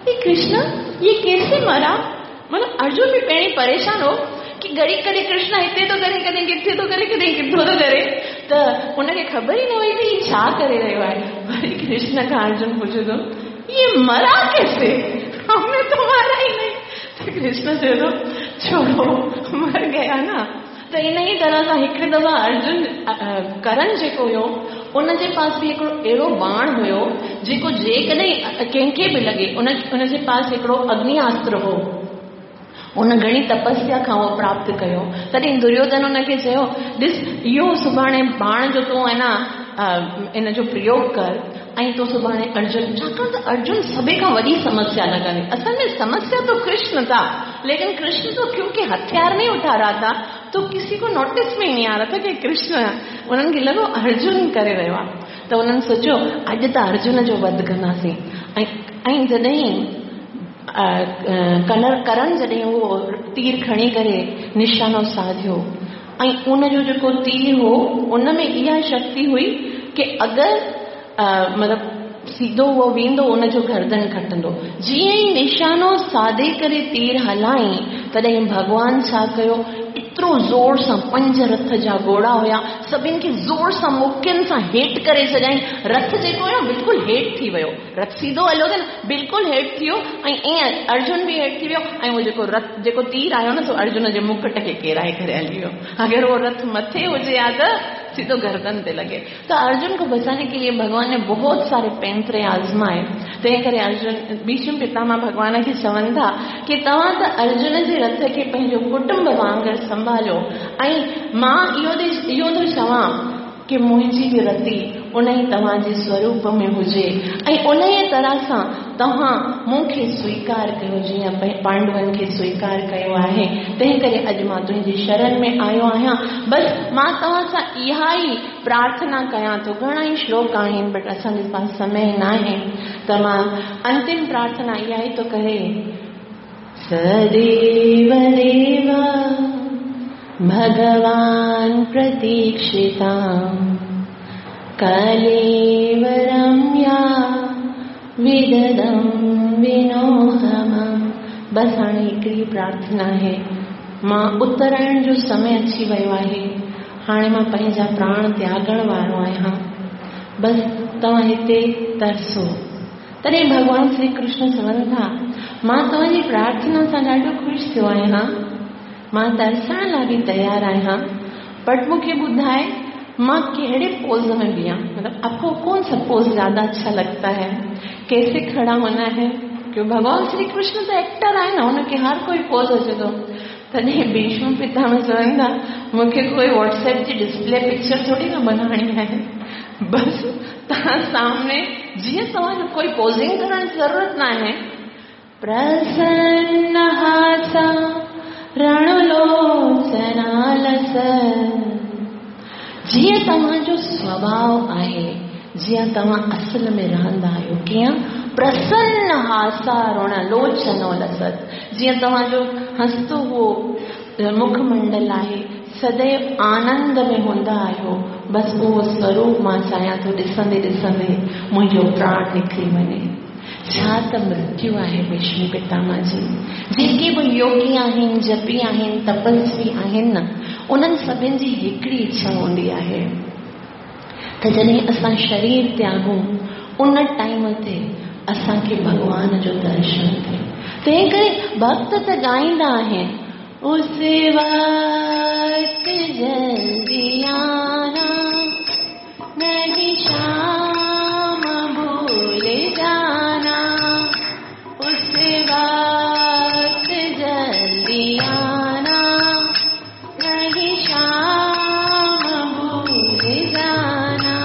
ये कृष्ण ये कैसे मरा? मतलब अर्जुन बि पहिरीं परेशान हो की घड़ी कॾहिं कृष्ण हिते थो करे, कॾहिं किथे थो करे, कॾहिं किथो थो करे, त हुनखे ख़बर ई न हुई त हीउ छा करे रहियो आहे। वरी कृष्ण खां अर्जुन पुछे थो, ये मरा कैसे, हमने तो मारा ही नहीं। त कृष्ण चए थो, छोड़ो मर गया ना। त इन ई तरह सां हिकिड़ी दफ़ा अर्जुन करण जेको हुयो उनजे पास बि हिकिड़ो अहिड़ो बाण हुयो जेको जेकॾहिं कंहिंखे बि लॻे, उनजे पास हिकिड़ो अग्नियास्त्र हो, उन घणी तपस्या खां उहो प्राप्त कयो। तॾहिं दुर्योधन हुनखे चयो, ॾिस इहो सुभाणे बाण जो तूं आहे न इन जो प्रयोग कर ऐं तूं सुभाणे अर्जुन, छाकाणि त अर्जुन सभई खां वॾी समस्या लॻंदी। असल में समस्या तो कृष्ण था, लेकिन कृष्ण तो क्योंकि हथियार नहीं उठा रहा था तो किसी को नोटिस में ही नहीं आ रहा था कि कृष्ण, उन्हनि खे लॻो अर्जुन करे रहियो आहे। त उन्हनि सोचियो अॼु त अर्जुन जो वध कंदासीं। ऐं जॾहिं करण जॾहिं उहो तीर खणी करे निशानो साधियो ऐं उनजो जेको तीर हो उन में इहा शक्ति हुई की अगरि मतिलबु सीधो उहो वेंदो उनजो गर्दन कटंदो। जीअं ई निशानो साधे करे तीर हलाई, तॾहिं भॻवान छा कयो, एतिरो ज़ोर सां 5 रथ जा घोड़ा हुया, सभिनि खे ज़ोर सां मुकियुनि सां हेठि करे छॾियईं। रथ जेको हुयो बिल्कुलु हेठि थी वियो, रथ सीधो हलियो त न बिल्कुलु हेठि थी वियो, ऐं ईअं अर्जुन बि हेठि थी वियो, ऐं उहो जेको रथ जेको तीर आयो न सो अर्जुन जे मुकुट खे केराए करे हली वियो। अगरि उहो रथ मथे हुजे हा त सीधो गर्दन ते लॻे। त अर्जुन को बचाने के लिए भगवान ने बहुत सारे पैंतरे आज़माए। तंहिं करे अर्जुन भीष्म पितामह भॻवान खे चवनि था की तव्हां त अर्जुन जे रथ खे पंहिंजो कुटुंब वांगुरु संभालियो, ऐं मां इहो थो चवां की मुंहिंजी बि रति उन ई तव्हांजे स्वरूप में हुजे, ऐं उन ई तरह सां तव्हां मूंखे स्वीकार कयो जीअं पांडवनि खे स्वीकार कयो आहे। तंहिं करे अॼु मां तुंहिंजी शरण में आयो आहियां, बसि मां तव्हां सां इहा ई प्रार्थना कयां थो। घणा ई श्लोक आहिनि बट असांजे पास समय न आहे, त मां अंतिम प्रार्थना इहा ई थो करे। सदैव देव भगवान प्रतीक्षितां कलेव रम्या विददं विनोहमं। बसि हाणे हिकिड़ी प्रार्थना आहे, मां उत्तरायण जो समय अची वियो आहे, हाणे मां पंहिंजा प्राण त्यागण वारो आहियां, बसि तव्हां हिते तरसो। तॾहिं भॻवान श्री कृष्ण चवनि था, मां तव्हांजी प्रार्थना सां ॾाढो ख़ुशि थियो आहियां, मां तरसण लाइ बि तयारु आहियां, बट मूंखे ॿुधाए मां कहिड़े पोज में बीहां, मतलब आपको कौन सा पोज ज्यादा अच्छा लगता है, कैसे खड़ा होना है? क्यों भगवान श्री कृष्ण त एक्टर आहे न, हुनखे हर कोई पोज अचे थो। तॾहिं भीष्म पितामह चवनि था, मूंखे कोई व्हाट्सएप जी डिस्प्ले पिक्चर थोरी न बनाइणी आहे, बसि तव्हां सामने जीअं तव्हांजो कोई पोजिंग करण जी ज़रूरत न आहे। प्रसन्न हासा रणलोचनालस, जीअं तव्हांजो स्वभाव आहे, जीअं तव्हां असल में रहंदा आहियो, कीअं प्रसन्न हासा ऋणलोचनो लसत, जीअं तव्हांजो हसतो उहो मुखमंडल आहे, सदैव आनंद में हूंदा आहियो, बसि उहो स्वरूप मां चाहियां थो ॾिसंदे ॾिसंदे मुंहिंजो प्राण निकिरी वञे। छा त मृत्यु आहे भीष्म पितामह जी। जेके बि योगी आहिनि, जपी आहिनि, तपस्वी आहिनि न, उन्हनि सभिनि जी हिकिड़ी इच्छा हूंदी आहे त जॾहिं असां शरीर त्यागूं उन टाइम ते असांखे भॻवान जो दर्शन थिए। तंहिं करे भक्त त ॻाईंदा आहिनि, उस वक़्त जल्दी आना, नहीं शाम भूल जाना, उस वक़्त जल्दी आना, नहीं शाम भूल जाना,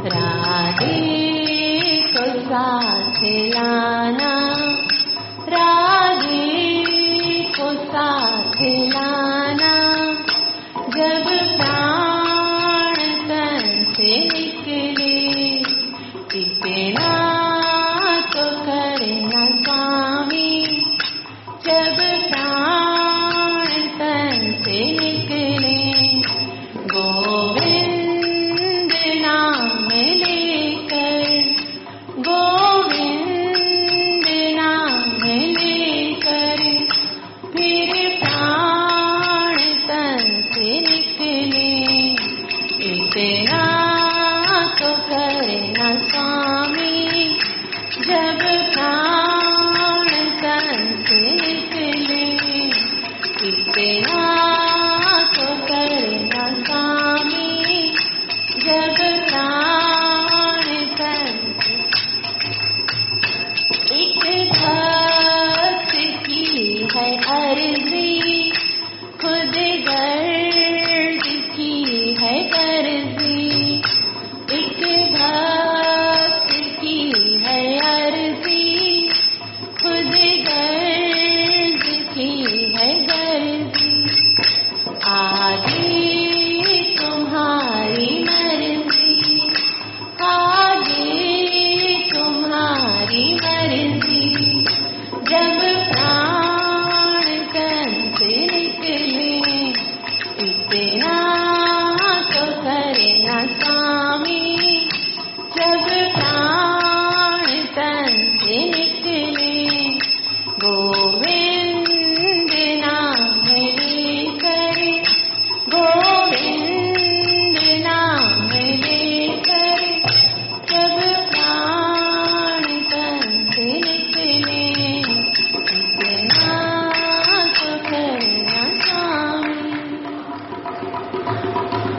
राधे को साथ लाना, राधे को साथ लाना, जब प्राण तन से निकले इतना तो करना स्वामी, जब प्राण तन से निकले गोविंद नाम लेकर, गोविंद नाम लेकर फिर प्राण तन से निकले इतना तो करना स्वामी, जब प्राण तन से निकले इतना तो करना स्वामी, जब प्राण तन से। एक भक्त की है अर्जी, खुद गर्ज की है गर्जी, एक भक्त की है अर्जी, खुद गर्ज की है गर्जी, आगे तुम्हारी मर्जी, आगे तुम्हारी मर्जी, जब प्राण तन से निकले इतना तो करना स्वामी, जब प्राण गोविंद नाम लेकर, गोविंद नाम लेकर जब प्राण कंठ निकले, इतना तो करना स्वामी।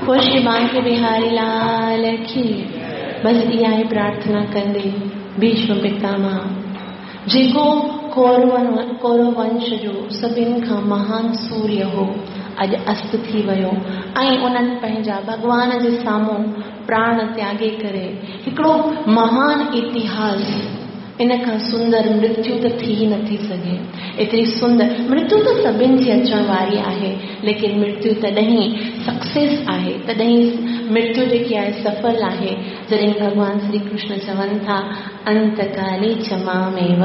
पोइ श्री बांके बिहारी लाल की। बसि इहा ई प्रार्थना कंदे भीष्म पितामह जेको कौरव वंश जो सभिनि खां महान सूर्य हो, अॼु अस्त थी वियो ऐं उन्हनि पंहिंजा भॻवान जे साम्हूं प्राण त्यागे करे हिकिड़ो महान इतिहास, इन खां सुंदर मृत्यु त थी नथी सघे। एतिरी सुंदर मृत्यु त सभिनि जी अचण वारी आहे, लेकिन मृत्यु तॾहिं सक्सेस आहे, तॾहिं मृत्यु जेकी आहे सफल आहे जॾहिं भॻवान श्री कृष्ण चवनि था अंतकाले च मामेव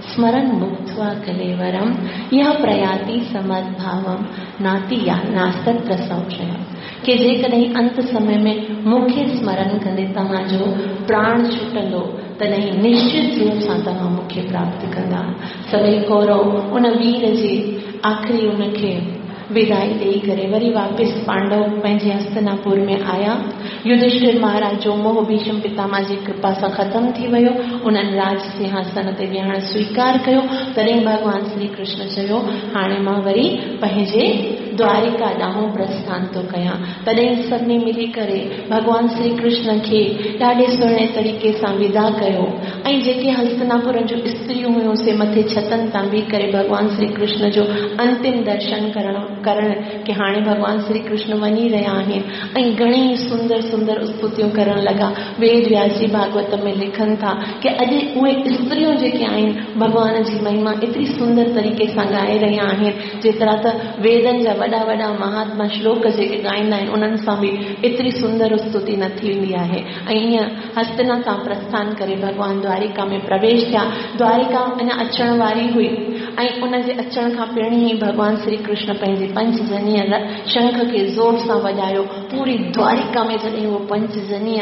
स्मरन् मुक्त्वा कलेवरं यः प्रयाति समद्भावं नाति या नास्तत्र संशय। के जेकॾहिं अंत समय में मूंखे स्मरण कंदे तव्हांजो प्राण छुटंदो तॾहिं निश्चित रूप सां तव्हां मूंखे प्राप्त कंदा। सभई कौरव उन वीर जे आख़िरी उनखे विदाई ॾेई करे वरी वापसि पांडव पंहिंजे हस्तनापुर में आया। युधिष्ठिर महाराज जो मोह भीष्म पितामह जी कृपा सां ख़तमु थी वियो। उन्हनि राज सिंहासन ते वेहण स्वीकार कयो। तॾहिं भॻवान श्री कृष्ण चयो हाणे मां वरी पंहिंजे द्वारिका ॾांहुं प्रस्थान थो कयां। तॾहिं सभिनी मिली करे भॻवान श्री कृष्ण खे ॾाढे सुहिणे तरीक़े सां विदा कयो ऐं जेके हस्तनापुर जूं स्त्रियूं हुयूं से मथे छतनि तां बीह करे भॻवान श्री कृष्ण जो अंतिम दर्शन करण की हाणे भॻवान श्री कृष्ण वञी रहिया आहिनि ऐं घणेई सुंदर सुंदर स्तुतियूं करण लॻा। वेद व्यास जी भागवत में लिखनि था की अॼु उहे स्त्रियूं जेके आहिनि भॻवान जी महिमा एतिरी सुंदर तरीक़े सां ॻाए रहिया आहिनि, जेतिरा त वेदनि जा वॾा वॾा महात्मा श्लोक जेके ॻाईंदा आहिनि उन्हनि सां बि एतिरी सुंदर स्तुति न थींदी आहे। ऐं ईअं हस्तिना तां प्रस्थान करे भॻवान द्वारिका में प्रवेश थिया। द्वारिका अञा अचण वारी हुई ऐं उन जे अचण खां पहिरीं ई भॻवान श्री कृष्ण पंहिंजे पंचजनीय शंख खे ज़ोर सां वॼायो। पूरी द्वारिका में जॾहिं उहो पंचजनीय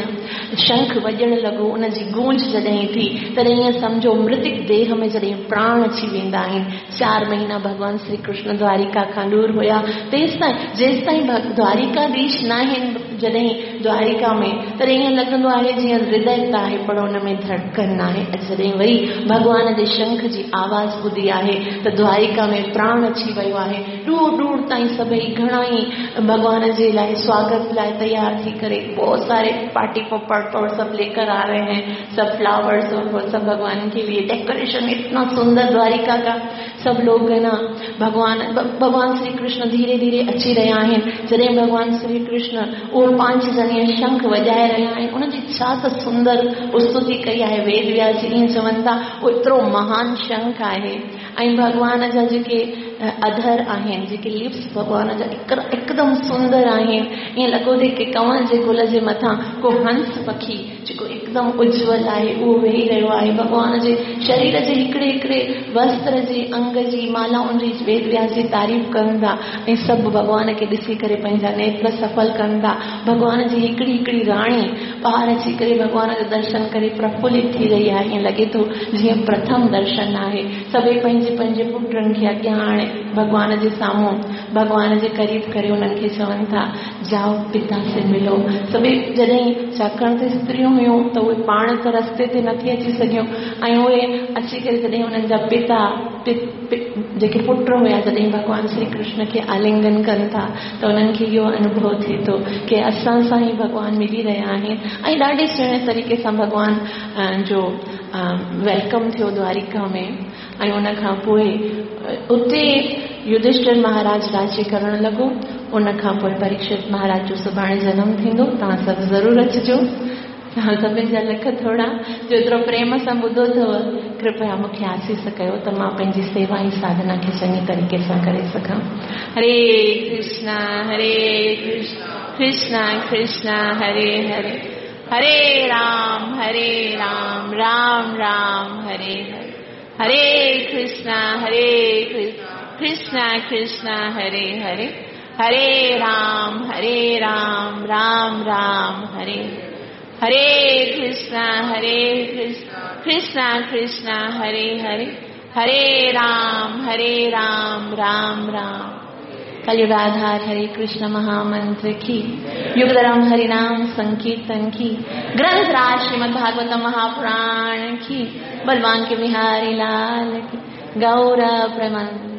शंख वॼण लॻो, उनजी गूंज जॾहिं थी तॾहिं ईअं सम्झो मृतिक देह में जॾहिं प्राण अची वेंदा आहिनि। 4 महीना भॻवान श्री कृष्ण द्वारिका खां दूर हुया, तेसिताईं जेसिताईं द्वारिकाधीश न आहिनि जॾहिं द्वारिका में, तॾहिं ईअं लॻंदो आहे जीअं हृदय त आहे पर उन में धड़कन न आहे। जॾहिं वरी भॻवान जे शंख जी आवाज़ ॿुधी आहे त द्वारिका में प्राण अची वियो आहे। दूर दूर ताईं सभई घणा ई भॻवान जे लाइ स्वागत लाइ तैयार थी करे बहुत सारे पार्टी पॉपर और सब लेकर आ रहे हैं, सब फ्लावर्स और वो सब भगवान के लिए डेकोरेशन इतना सुंदर द्वारिका का। सब लोग है ना भगवान श्री कृष्ण धीरे धीरे अची रहिया आहिनि। जॾहिं भगवान श्री कृष्ण उहो पंचजनीय शंख वॼाए रहिया आहिनि, उनजी छा त सुंदर स्तुति कई आहे वेद व्यास जी। ईअं चवनि था उहो एतिरो महान शंख आहे ऐं भॻवान जा जेके अधर आहिनि, जेके लिप्स भॻवान जा एकदम सुंदर आहिनि। ईअं लॻो थी की कंवर जे गुल जे मथां को हंस पखी जेको एकदम उज्जवल आहे उहो वेही रहियो आहे। भॻवान जे शरीर जे हिकिड़े हिकिड़े वस्त्र जे अंग जी मालाउनि जी वेद व्यास जी तारीफ़ कनि था ऐं सभु भॻवान खे ॾिसी करे पंहिंजा नेत्र सफल कनि था। भॻवान जी हिकिड़ी हिकिड़ी राणी ॿाहिरि अची करे भॻवान जो दर्शन करे प्रफुलित थी रही आहे। ईअं लॻे थो जीअं प्रथम दर्शन आहे। सभई पंहिंजे पंहिंजे पुटनि खे अॻियां आणे भॻवान जे साम्हूं भॻवान जे क़रीब करे उन्हनि खे चवनि था जाओ पिता से मिलो। सभई जॾहिं छाकाणि त स्त्रियूं हुयूं त उहे पाण त रस्ते ते नथी अची सघियूं ऐं उहे अची करे जॾहिं उन्हनि जा पिता जेके पुट हुया जॾहिं भॻवान श्री कृष्ण खे आलिंगन कनि था त उन्हनि खे इहो अनुभव थिए थो की असां सां ई भॻवान मिली रहिया आहिनि ऐं ॾाढे सुहिणे तरीक़े सां भॻवान जो welcome थियो द्वारिका में। ऐं उन खां पोइ उते युधिष्ठिर महाराज राज्य करण लॻो। उन खां पोइ परीक्षित महाराज जो सुभाणे जनम थींदो, तव्हां सभु ज़रूरु अचिजो। तव्हां सभिनी जा लख थोरा जो एतिरो प्रेम सां ॿुधो अथव, कृपया मूंखे आसीस कयो त मां पंहिंजी सेवा ऐं साधना खे चङी तरीक़े सां करे सघां। हरे कृष्णा हरे कृष्णा कृष्णा कृष्णा हरे हरे, हरे राम राम राम हरे हरे, हरे कृष्णा कृष्णा कृष्णा हरे हरे, हरे राम राम राम हरे हरे, कृष्णा कृष्णा कृष्णा हरे हरे, हरे राम राम राम। कलयुगाधार हरे कृष्ण महामंत्र की, युगधर्म हरिनाम संकीर्तन की, ग्रंथ राज श्रीमद् भागवत महापुराण की, बलवान के बिहारी लाल की, गौर प्रेमानंद।